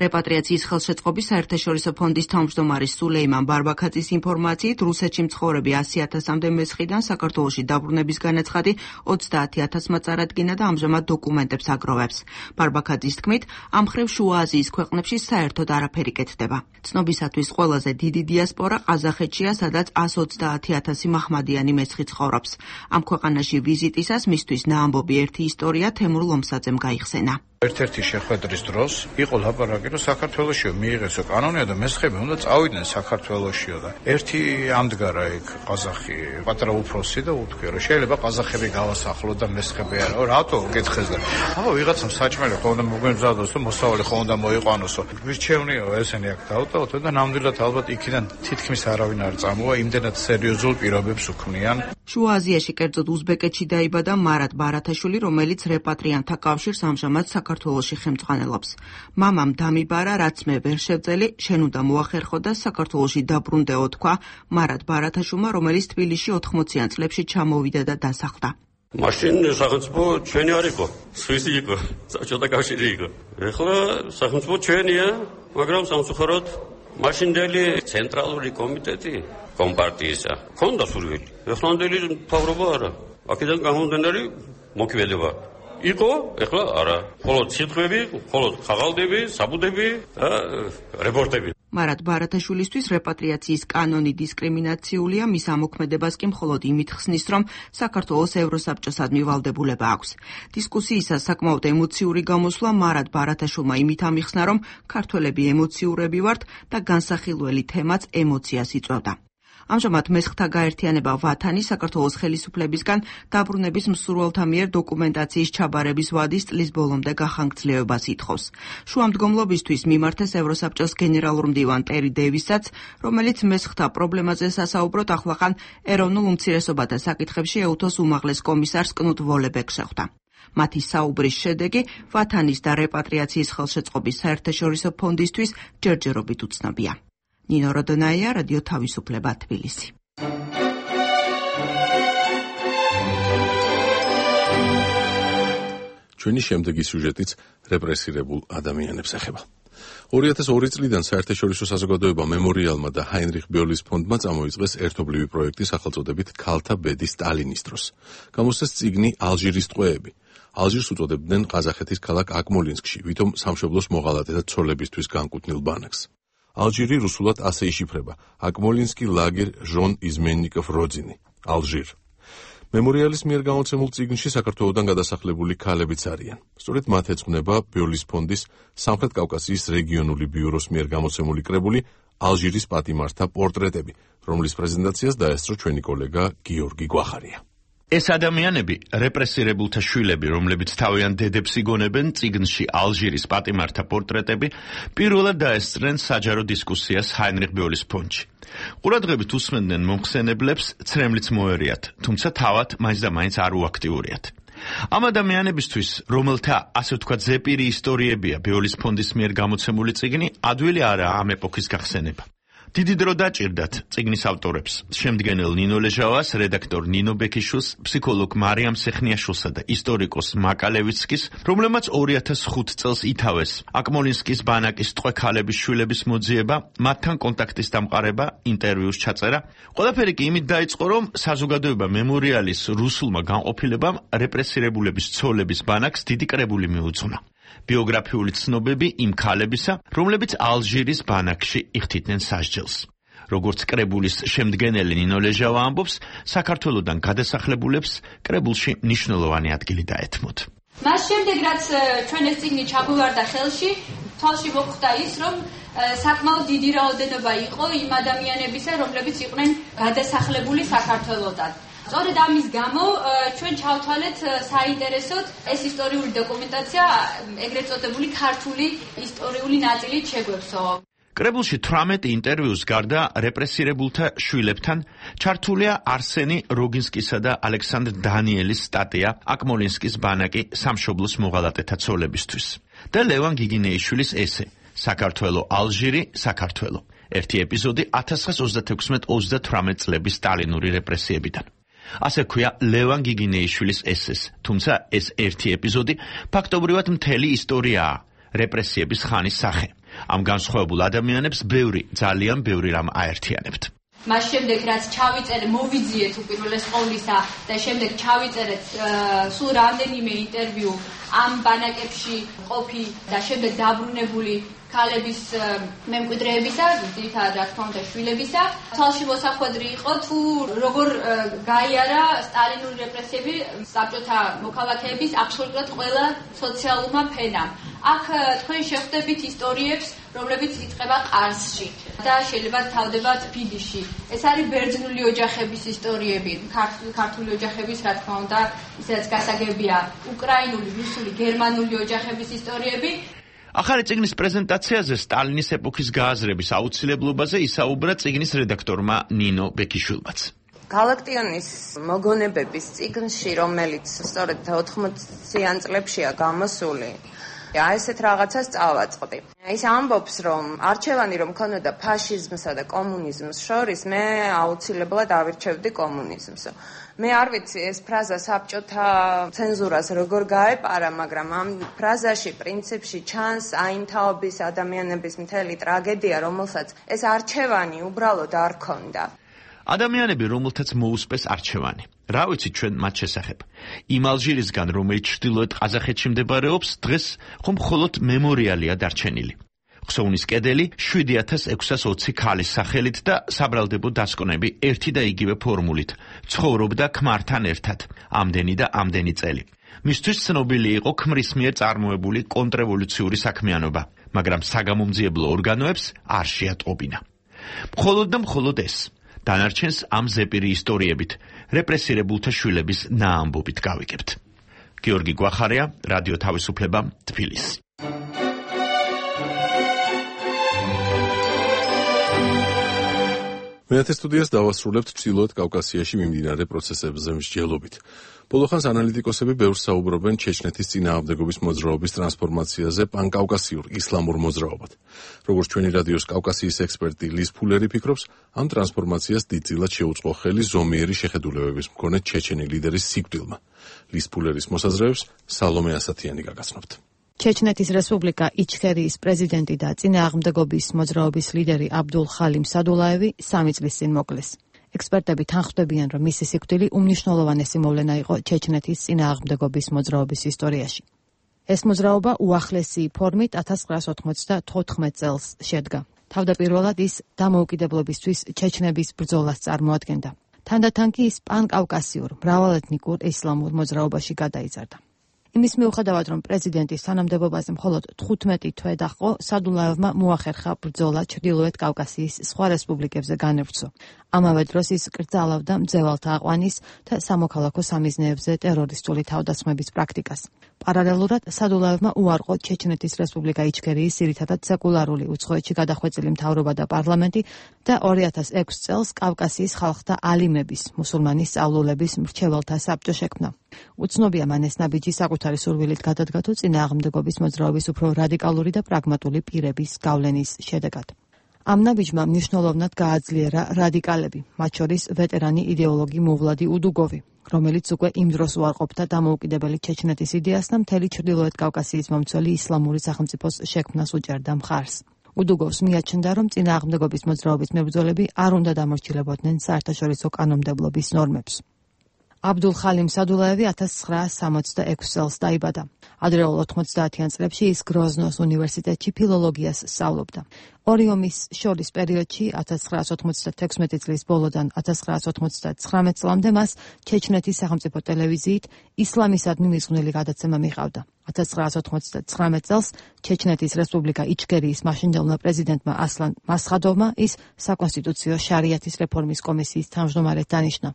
რეპატრიაციის ხელშეწყობის საერთაშორისო ფონდის თავმჯდომარის სულეიმან ბარბაქაძის ინფორმაციით, რუსეთში მცხოვრები ასი ათასამდე მესხიდან საქართველოში დაბრუნების განაცხადი ოცდაათი ათასმა წარადგინა და ამჟამად დოკუმენტებს აგროვებს. ბარბაქაძის თქმით, ამ მხრივ შუა აზიის ქვეყნებში საერთოდ არაფერი კეთდება. ცნობისათვის ყველაზე დიდი დიასპორა ყაზახეთშია, სადაც ას ოცდაათი ათასი მაჰმადიანი მესხი ცხოვრობს. ამ ქვეყანაში ვიზიტისას მისთვის ნაამბობი ერთი ისტორია თემურ ლომსაძემ გაიხსენა. ერთ-ერთი შეხვედრის დროს იყო ლაპარაკი, რომ საქართველოში მიიღესო კანონია და მესხები უნდა წავიდნენ საქართველოშიო და ერთი ამდგარა იქ ყაზახი, პატარა უფროსი და უთქვია, რომ შეიძლება ყაზახები გავასახლო და მესხები არა. რატო გეთხეს და აბა ვიღაცამ საჭმელი ხო უნდა მოგემზადოს და მოსავალი ხო უნდა მოიყვანოსო. ვირჩევნიო ესენი აქ დავტოვოთ და ნამდვილად ალბათ იქიდან თითქმის არავინ არ წამოვა, იმდენად სერიოზულ პირობებს უქმნიან. შუა აზიაში, კერძოდ უზბეკეთში დაიბადა მარად ბარათაშვილი, რომელიც რეპატრიანტთა კავშირს ამჟამად საქართველოში ხელმძღვანელობს. მამამ დამიბარა, რაც მე ვერ შევძელი, შენ უნდა მოახერხო და საქართველოში დაბრუნდეო, თქვა მარად ბარათაშვილმა, რომელიც თბილისში ოთხმოციან წლებში ჩამოვიდა და დასახლდა. მაშინ სახელმწიფო ჩვენი არ იყო, სვისი იყო, საბჭოთა კავშირი იყო. ეხლა სახელმწიფო ჩვენია, მაგრამ სამწუხაროდ მაშინდელი ცენტრალური კომიტეტი კომპარტიისა ქონდა სურვილი. ეხლანდელი მთავრობა არა. აქედან გამომდინარე მოქმედება იყო, ეხლა არა. მხოლოდ სიტყვები, მხოლოდ ხაღალდები, საბუდები და რეპორტები. მარად ბარათაშვილისთვის რეპატრიაციის კანონი დისკრიმინაციულია, მის ამოქმედებას კი მხოლოდ იმით ხსნის, რომ საქართველოს ევროსაბჭოსადმი ვალდებულება აქვს. დისკუსიისას საკმაოდ ემოციური გამოსვლა მარად ბარათაშვილმა იმით ამიხსნა, რომ ქართველები ემოციურები ვართ და განსახილველი თემაც ემოციას იწვევდა. ამჟამად მესხთა გაერთიანება ვათანი საქართველოს ხელისუფლებისგან დაბრუნების მსურველთა მიერ დოკუმენტაციის ჩაბარების ვადის წლის ბოლომდე გახანგრძლივებას ითხოვს. შუამდგომლობისთვის მიმართეს ევროსაბჭოს გენერალურ მდივან ტერი დევისაც, რომელიც მესხთა პრობლემაზე სასაუბროდ ახლახან ეროვნულ უმცირესობათა საკითხებში ეუთოს უმაღლეს კომისარს კნუტ ვოლებეკს შეხვდა. მათი საუბრის შედეგი ვათანის და რეპატრიაციის ხელშეწყობის საერთაშორისო ფონდისთვის ჯერჯერობით უცნობია. ნინო როდონაია, რადიო თავისუფლება, თბილისი. ჩვენი შემდეგი სიუჟეტიც რეპრესირებულ ადამიანებს ეხება. ორი ათას ორი წლიდან საერთაშორისო საზოგადოება მემორიალმა და ჰაინრიხ ბიოლის ფონდმა წამოიწყეს ერთობლივი პროექტი სახელწოდებით ქალთა ბედი სტალინის დროს. გამოსცეს წიგნი ალჟირის ტყვეები. ალჟირს უწოდებდნენ ყაზახეთის ქალაქ აკმოლინსკში, ვითომ სამშობლოს მოღალატე და ცოლებისთვის განკუთვნილ ბანაკს. ალჟირი რუსულად ასე იშიფრება: აკმოლინსკი ლაგერ ჟონ იზმენნიკოვ როძინი, ალჟირ. მემორიალის მიერ გამოცემულ წიგნში საქართველოდან გადასახლებული ქალებიც არიან. სწორედ მათ ეძღვნება ბიოლის ფონდის სამხრეთ კავკასიის რეგიონული ბიუროს მიერ გამოცემული კრებული ალჟირის პატიმართა პორტრეტები, რომლის პრეზენტაციას დაესწრო ჩვენი კოლეგა გიორგი გვახარია. ეს ადამიანები, რეპრესირებულთა შვილები, რომლებიც თავიანთ დედებს იგონებენ, წიგნში ალჟირის პატიმართა პორტრეტები, პირველად დაესწრნენ საჯარო დისკუსიას ჰაინრიხ ბიოლის ფონდში. ყურადღებით უსმენდნენ მომხსენებლებს, ცრემლიც მოერიათ, თუმცა თავად მაინც და მაინც არ უაქტიურიათ. ამ ადამიანებისთვის, რომელთა ასე ვთქვათ ზეპირი ისტორიებია ბიოლის ფონდის მიერ გამოცემული წიგნი, ადვილი არაა ამ ეპოქის გახსენება. დიდი დრო დაჭირდათ წიგნის ავტორებს, შემდგენელ ნინო ლეჟავას, რედაქტორ ნინო ბექიშვილს, ფსიქოლოგ მარიამ სეხნიაშვილსა და ისტორიკოს მაკალევიცკის, რომლებმაც ორი ათას ხუთი წელს ითავეს აკმოლინსკის ბანაკის ტყვე ქალების შვილების მოძიება, მათთან კონტაქტის დამყარება, ინტერვიუს ჩაწერა. ყველაფერი კი იმით დაიწყო, რომ საზოგადოება მემორიალის რუსულმა განყოფილებამ რეპრესირებულების ცოლების ბანაკს დიდი კრებული მიუძღვნა. ბიოგრაფიული ცნობები იმ ქალებისა, რომლებიც ალჟირის ბანაკში იხდიდნენ სასჯელს. როგორც კრებულის შემდგენელი ნინო ლეჟავა ამბობს, საქართველოდან გადასახლებულებს კრებულში მნიშვნელოვანი ადგილი დაეთმოთ. მას შემდეგ, რაც ჩვენ ეს წიგნი ჩაგვივარდა ხელში, თვალში მოხვდა ის, რომ საკმაოდ დიდი რაოდენობა იყო იმ ადამიანებისა, რომლებიც იყვნენ გადასახლებული საქართველოდან. სწორედ ამის გამო ჩვენ ჩავთვალეთ საინტერესოდ ეს ისტორიული დოკუმენტაცია, ეგრეთ წოდებული ქართული ისტორიული ნაწილით შეგვექვსო. კრებულში თვრამეტი ინტერვიუს გარდა რეპრესირებულთა შვილებთან ჩართულია არსენი როგინსკისა და ალექსანდრ დანიელის სტატია აკმოლინსკის ბანაკი სამშობლოს მოღალატეთა ცოლებისთვის და ლევან გიგინეიშვილის ესე საქართველო ალჟირი საქართველო. ერთი ეპიზოდი ათას ცხრაას ოცდათექვსმეტ ოცდათვრამეტ წლების სტალინური რეპრესიებიდან. ასე ქვია ლევან გიგინეიშვილის ესეს, თუმცა ეს ერთი ეპიზოდი ფაქტობრივად მთელი ისტორიაა, რეპრესიების ხანის სახე. ამ განსხვავებულ ადამიანებს ბევრი, ძალიან ბევრი რამ აერთიანებთ. მას შემდეგ რაც ჩავიწერე, მოვიძიეთ უპირველეს ყოვლისა და შემდეგ ჩავიწერეთ სულ რამდენიმე ინტერვიუ ამ ბანაკებში ყოფი და შემდეგ დაბრუნებული ქალების მემკვიდრეებისა, ძირითადად რა თქმა უნდა შვილებისა, თვალში მოსახვედრი იყო თუ როგორ გაიარა სტალინური რეპრესიები საბჭოთა მოქალაქეების აბსოლუტურად ყველა სოციალურმა ფენამ. აქ თქვენ შეხვდებით ისტორიებს, რომლებიც იწყება ყარსში და შეიძლება თავდება თბილისში. ეს არის ბერძნული ოჯახების ისტორიები, ქართული ოჯახების, რა თქმა უნდა, ისაც გასაგებია, უკრაინული, რუსული, გერმანული ოჯახების ისტორიები. ახალი წიგნის პრეზენტაციაზე სტალინის ეპოქის გააზრების აუცილებლობაზე ისაუბრა წიგნის რედაქტორმა ნინო ბექიშვილმაც. გალაქტიონის მოგონებების წიგნში, რომელიც სწორედ ოთხმოციან წლებშია გამოსული, აი ესეთ რაღაცას წავაწყდი. ის ამბობს, რომ არჩევანი რომ ქონოდა ფაშიზმსა და კომუნიზმს შორის, მე აუცილებლად ავირჩევდი კომუნიზმს. მე არ ვიცი ეს ფრაზა საბჭოთა ცენზურას როგორ გაეპარა, მაგრამ ამ ფრაზაში პრინციპში ჩანს აინთაობის ადამიანების მთელი ტრაგედია, რომელსაც ეს არჩევანი უბრალოდ არ ქონდა. ადამიანები, რომელთაც მოუსპეს არჩევანი. რა ვიცით ჩვენ მათ შესახებ? იმ ალჟირისგან, რომელიც ჩრდილოეთ ყაზახეთში მდებარეობს, დღეს ხომ მხოლოდ მემორიალია დარჩენილი. ხსოვნის კედელი შვიდი ათას ექვსას ოცი ქალის სახელით და საბრალდებო დასკვნები ერთი და იგივე ფორმულით. ცხოვრობდა ქმართან ერთად, ამდენი და ამდენი წელი. მისთვის ცნობილი იყო ქმრის მიერ წარმოებული კონტრრევოლუციური საქმიანობა, მაგრამ საგამომძიებლო ორგანოებს არ შეატყობინა. მხოლოდ და მხოლოდ ეს. დანარჩენს ამ ზეპირი ისტორიებით, რეპრესირებულთა შვილების ნაამბობით გავიგებთ. გიორგი გვახარია, რადიო თავისუფლება, თბილისი. მეათე სტუდიას დავასრულებთ ჩრდილოეთ კავკასიაში მიმდინარე პროცესებზე მსჯელობით. ბოლოხანს ანალიტიკოსები ბევრს საუბრობენ ჩეჩნეთის წინააღმდეგობის მოძრაობის ტრანსფორმაციაზე პანკავკასიურ ისლამურ მოძრაობად. როგორც ჩვენი რადიოს კავკასიის ექსპერტი ლის ფულერი ფიქრობს, ამ ტრანსფორმაციას დიდწილად შეუწყო ხელი ზომიერი შეხედულებების მქონე ჩეჩენი ლიდერის სიკვდილმა. ლის ფულერის მოსაზრებებს სალომე ასათიანი გაგაცნობთ. ჩეჩნეთის რესპუბლიკა იჩქერიის პრეზიდენტი და წინააღმდეგობის მოძრაობის ლიდერი აბდულ ხალიმ სადულაევი სამი წლის წინ მოკლეს. ექსპერტები თანხმდებიან, რომ მისი სიკვდილი უმნიშვნელოვანესი მოვლენა იყო ჩეჩნეთის წინააღმდეგობის მოძრაობის ისტორიაში. ეს მოძრაობა უახლესი ფორმით ათას ცხრაას ოთხმოცდათოთხმეტ წელს შედგა. თავდაპირველად ის დამოუკიდებლობისთვის ჩეჩნების ბრძოლას წარმოადგენდა. თანდათან კი ის პანკავკასიურ მრავალეთნიკურ ისლამურ მოძრაობაში გადაიზარდა. იმის მიუხედავად, რომ პრეზიდენტის თანამდებობაზე მხოლოდ თხუთმეტი თვე დაჰყო, სადულაევმა მოახერხა ბრძოლა ჩრდილოეთ კავკასიის სხვა რესპუბლიკებზე განევრცო. ამავე დროს ის კრძალავდა მძევალთა აყვანის და სამოქალაქო სამიზნეებზე ტერორისტული თავდასხმების პრაქტიკას. პარალელურად სადულაევმა უარყო ჩეჩნეთის რესპუბლიკა იჩქერიის ძირითადად სეკულარული უცხოეთში გადახვეწილი მთავრობა და პარლამენტი და ორი ათას ექვსი წელს კავკასიის ხალხთა ალიმების, მუსულმანი სწავლულების მრჩეველთა საბჭო შექმნა. უცნობია მან ეს ნაბიჯი საკუთარი სურვილით გადადგა თუ წინააღმდეგობის მოძრაობის უფრო რადიკალური და პრაგმატული პირების გავლენის შედეგად. ამ ნაბიჯმა მნიშვნელოვნად გააძლიერა რადიკალები, მათ შორის ვეტერანი იდეოლოგი მოვლადი უდუგოვი, რომელიც უკვე იმ დროს უარყოფდა დამოუკიდებელი ჩეჩნეთის იდეას და მთელი ჩრდილოეთ კავკასიის მომცველი ისლამური სახელმწიფოს შექმნას უჭერდა მხარს. უდუგოვს მიაჩნდა, რომ წინააღმდეგობის მოძრაობის მებრძოლები არ უნდა დამორჩილებოდნენ საერთაშორისო კანონმდებლობის ნორმებს. აბდულ ხალიმ სადულაევი ათას ცხრაასი სამოცდაექვსი წელს დაიბადა. ადრეულ ოთხმოცდაათიან წლებში ის გროზნოს უნივერსიტეტში ფილოლოგიას სწავლობდა. ორი ომის შორის პერიოდში ათას ცხრაასი ოთხმოცდათექვსმეტი წლის ბოლოდან ათას ცხრაასი ოთხმოცდაცხრამეტ წლამდე მას ჩეჩნეთის სახელმწიფო ტელევიზიით ისლამისადმი მიზღვნილი გადაცემა მიჰყავდა. ათას ცხრაასი ოთხმოცდათხრამეტ წელს ჩეჩნეთის რესპუბლიკა იჩქერიის მაშინდელმა პრეზიდენტმა ასლან მასხადოვმა ის საკონსტიტუციო შარიათის რეფორმის კომისიის თავმჯდომარედ დანიშნა.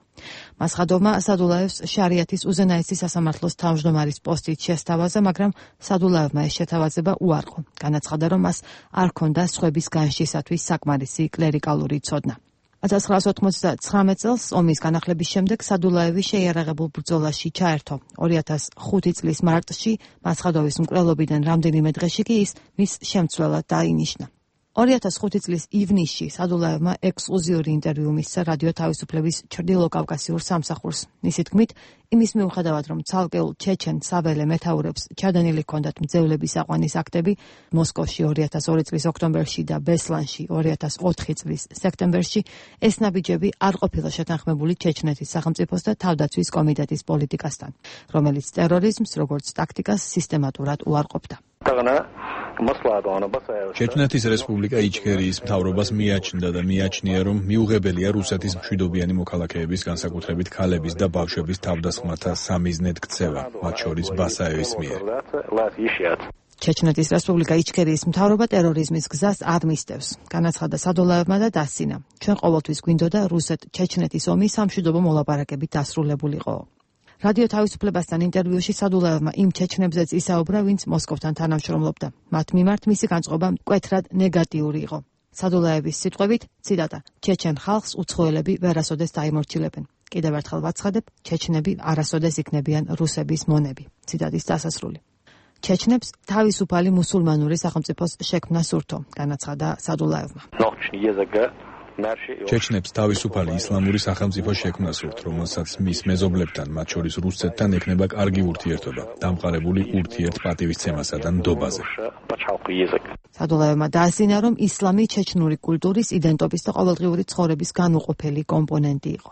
მასხადოვმა სადულაევს შარიათის უზენაესი სასამართლოს თავმჯდომარის პოსტით შესთავაზა, მაგრამ სადულაევმა ეს შეთავაზება უარყო. განაცხადა, რომ მას არ ჰქონდა სხვების განშისათვის საკმარისი კლერიკალური ცოდნა. ათას ცხრაასი ოთხმოცდაცხრამეტ წელს ომის განახლების შემდეგ სადულაევი შეიარაღებულ ბრძოლაში ჩაერთო. ორი ათას ხუთი წლის მარტში მასხადოვის მკვლელობიდან რამდენიმე დღეში კი ის მის შემცვლელად დაინიშნა. ორი ათას ხუთი წლის ივნისში სადულაევმა ექსკლუზიური ინტერვიუ მისცა რადიო თავისუფლების ჩრდილო კავკასიურ სამსახურს. მისი თქმით, იმის მიუხედავად, რომ ცალკეულ ჩეჩენ საველე მეთაურებს ჩადენილი ჰქონდათ მძევლების აყვანის აქტები, მოსკოვში ორი ათას ორი წლის ოქტომბერში და ბესლანში ორი ათას ოთხი წლის სექტემბერში ეს ნაბიჯები არ ყოფილა შეთანხმებული ჩეჩნეთის სახელმწიფოს და თავდაცვის კომიტეტის პოლიტიკასთან, რომელიც ტერორიზმს როგორც ტაქტიკას სისტემატურად უარყოფდა. ჩეჩნეთის რესპუბლიკა იჩქერიის მთავრობას მიაჩნდა და მიაჩნია, რომ მიუღებელია რუსეთის მშვიდობიანი მოქალაქეების, განსაკუთრებით ქალების და ბავშვების თავდასხმათა სამიზნედ ქცევა, მათ შორის ბასაევის მიერ. ჩეჩნეთის რესპუბლიკა იჩქერიის მთავრობა ტერორიზმის გზას არ მისდევს. განაცხადა სადულაევმა და დასცინა. ჩვენ ყოველთვის გვინდოდა რუსეთ-ჩეჩნეთის ომი სამშვიდობო მოლაპარაკებით დასრულებულიყო. რადიო თავისუფლებასთან ინტერვიუში სადულაევმა იმ ჩეჩნებზეც ისაუბრა, ვინც მოსკოვთან თანამშრომლობდა. მათ მიმართ მისი განწყობა მკვეთრად ნეგატიური იყო. სადულაევის სიტყვებით, ციტატა: ჩეჩენ ხალხს უცხოელები ვერასოდეს დაიმორჩილებენ. კიდევ ერთხელ ვაცხადებ, ჩეჩნები არასოდეს იქნებიან რუსების მონები. ციტატის დასასრული. ჩეჩნებს თავისუფალი მუსულმანური სახელმწიფოს შექმნა სურთო, განაცხადა სადულაევმა. ჩეჩნებს თავისუფალი ისლამური სახელმწიფო შექმნა სურთ, რომელსაც მის მეზობლებთან, მათ შორის რუსეთთან ექნება კარგი ურთიერთობა, დამყარებული ურთიერთპატივისცემასა და ნდობაზე. სადულაევმა დაასინა, რომ ისლამი ჩეჩნური კულტურის, იდენტობის და ყოველდღიური ცხოვრების განუყოფელი კომპონენტი იყო.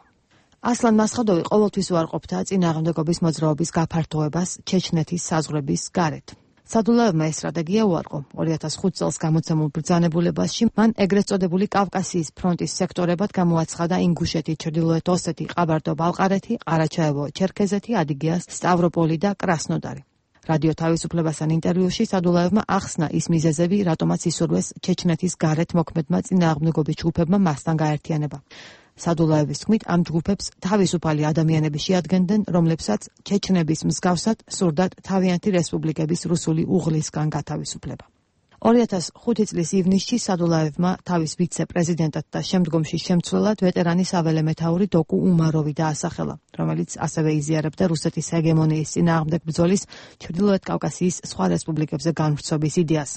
ასლან მასხადოვი ყოველთვის უარყოფდა წინააღმდეგობის მოძრაობის გაფართოებას ჩეჩნეთის საზღვრების გარეთ. სადულაევმა ეს სტრატეგია უარყო. ორი ათას ხუთი წელს გამოცემულ ბრძანებულებაში მან ეგრეთ წოდებული კავკასიის ფრონტის სექტორებად გამოაცხადა ინგუშეთი, ჩრდილოეთ ოსეთი, ყაბარდო-ბალყარეთი, ყარაჩაევო, ჩერქეზეთი, ადიგეა, სტავროპოლი და კრასნოდარი. რადიო თავისუფლებასთან ინტერვიუში სადულაევმა ახსნა ის მიზეზები, რატომაც ისურვეს ჩეჩნეთის გარეთ მოქმედმა წინააღმდეგობის ჯგუფებმა მასთან გაერთიანება. სადულაევის თქმით, ამ ჯგუფებს თავისუფალი ადამიანები შეადგენდნენ, რომლებსაც ჩეჩნების მსგავსად სურდათ თავიანთი რესპუბლიკების რუსული უღლისგან გათავისუფლება. ორი ათას ხუთი წლის ივნისში სადულაევმა თავის ვიცე-პრეზიდენტად და შემდგომში შემცვლელად ვეტერანი საველე მეთაური დოკუ უმაროვი დაასახელა, რომელიც ასევე იზიარებდა რუსეთის ჰეგემონიის წინააღმდეგ ბრძოლის ჩრდილოეთ კავკასიის სხვა რესპუბლიკებზე განვრცობის იდეას.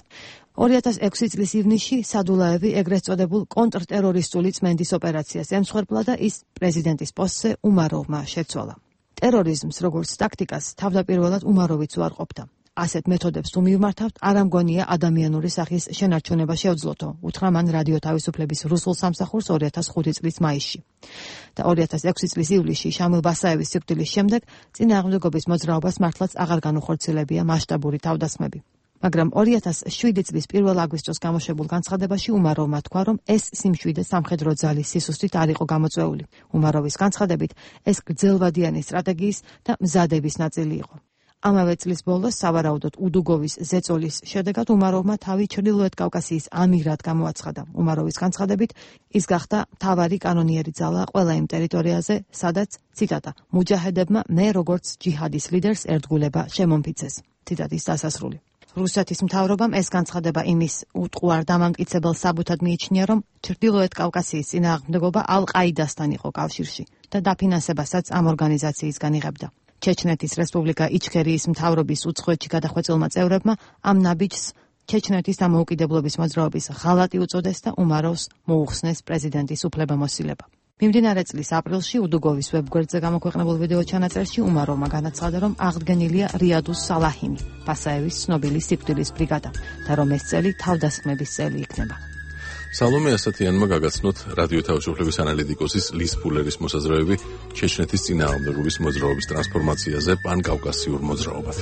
ორი ათას ექვსი წლის ივნისში სადულაევი ეგრეთ წოდებულ კონტრტერორისტული წმენდის ოპერაციას ემსხვერპლა და ის პრეზიდენტის პოსტზე უმაროვმა შეცვალა. ტერორიზმს როგორც ტაქტიკას თავდაპირველად უმაროვიც უარყოფდა. ასეთ მეთოდებს თუ მივმართავთ, არ ამგონია ადამიანური სახის შენარჩუნება შევძლოთო, უთხრა მან რადიო თავისუფლების რუსულ სამსახურს ორი ათას ხუთი წლის მაისში. და ორი ათას ექვსი წლის ივლისში შამილ ბასაევის სიკვდილის შემდეგ წინააღმდეგობის მოძრაობას მართლაც აღარ განუხორციელებია მასშტაბური თავდასხმები. მაგრამ ორი ათას შვიდი წლის პირველ აგვისტოს გამოშვებულ განცხადებაში უმაროვმა თქვა, რომ ეს სიმშვიდე სამხედრო ძალის სისუსტით არ იყო გამოწვეული. უმაროვის განცხადებით, ეს გრძელვადიანი სტრატეგიის და მზადების ნაწილი იყო. ამავე წლის ბოლოს სავარაუდოდ უდუგოვის ზეწოლის შედეგად უმაროვმა თავი ჩრდილოეთ კავკასიის ამირად გამოაცხადა. უმაროვის განცხადებით, ის გახდა მთავარი კანონიერი ძალა ყველა იმ ტერიტორიაზე, სადაც, ციტატა, მუჯაჰედებმა მე როგორც ჯიჰადის ლიდერს ერთგულება შემომფიცეს. ციტატის დასასრული. რუსეთის მთავრობამ ეს განცხადება იმის უტყუარ დამამტკიცებელ საბუთად მიიჩნია, რომ ჩრდილოეთ კავკასიის წინააღმდეგობა ალ-ყაიდასთან იყო კავშირში და დაფინანსებასაც ამ ორგანიზაციისგან იღებდა. ჩეჩნეთის რესპუბლიკა იჩქერიის მთავრობის უცხოეთში გადახვეწილმა წევრებმა ამ ნაბიჯს ჩეჩნეთის დამოუკიდებლობის მოძრაობის ღალატი უწოდეს და უმარავს მოუხსნეს პრეზიდენტის უფლებამოსილება. მიმდინარე წლის აპრილში უდუგოვის ვებგვერდზე გამოქვეყნებულ ვიდეო ჩანაწერში უმაროვმა განაცხადა, რომ აღდგენილია რიადუს სალაჰიმი, პასაევის ცნობილი სიკვდილის ბრიგადა და რომ ეს წელი თავდასხმების წელი იქნება. სალომე ასათიანმა გაგაცნოთ რადიო თავისუფლების ანალიტიკოსის ლის ფულერის მოსაზრებები ჩეჩნეთის წინააღმდეგობის მოძრაობის ტრანსფორმაციაზე პანკავკასიურ მოძრაობად.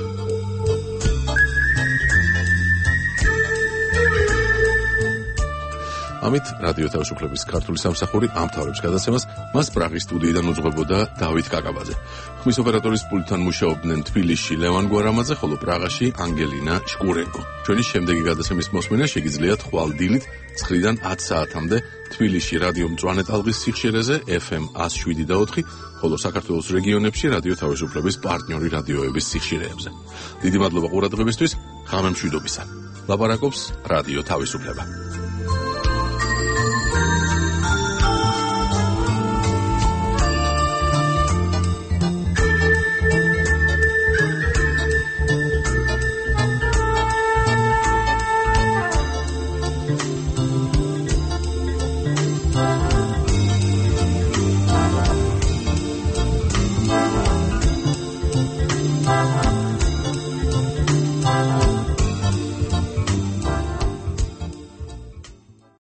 ამით რადიო თავისუფლების ქართული სამსახური ამთავრებს გადაცემას. მას პრაღის სტუდიიდან უძღვებოდა დავით კაკაბაძე. ხმის ოპერატორის პულტთან მუშაობდნენ თბილისში ლევან გვარამაძე, ხოლო პრაღაში ანგელინა შკურენკო. ჩვენი შემდეგი გადაცემის მოსმენა შეგიძლიათ ხვალ-დილით ცხრიდან ათ საათამდე თბილისში რადიო მწვანე ტალღის სიხშირეზე ეფ ემ εκατო შვიდი და ოთხი, ხოლო საქართველოს რეგიონებში რადიო თავისუფლების პარტნიორი რადიოების სიხშირეებზე. დიდი მადლობა ყურადღებისთვის. ღამე მშვიდობისა. ლაპარაკობს რადიო თავისუფლება.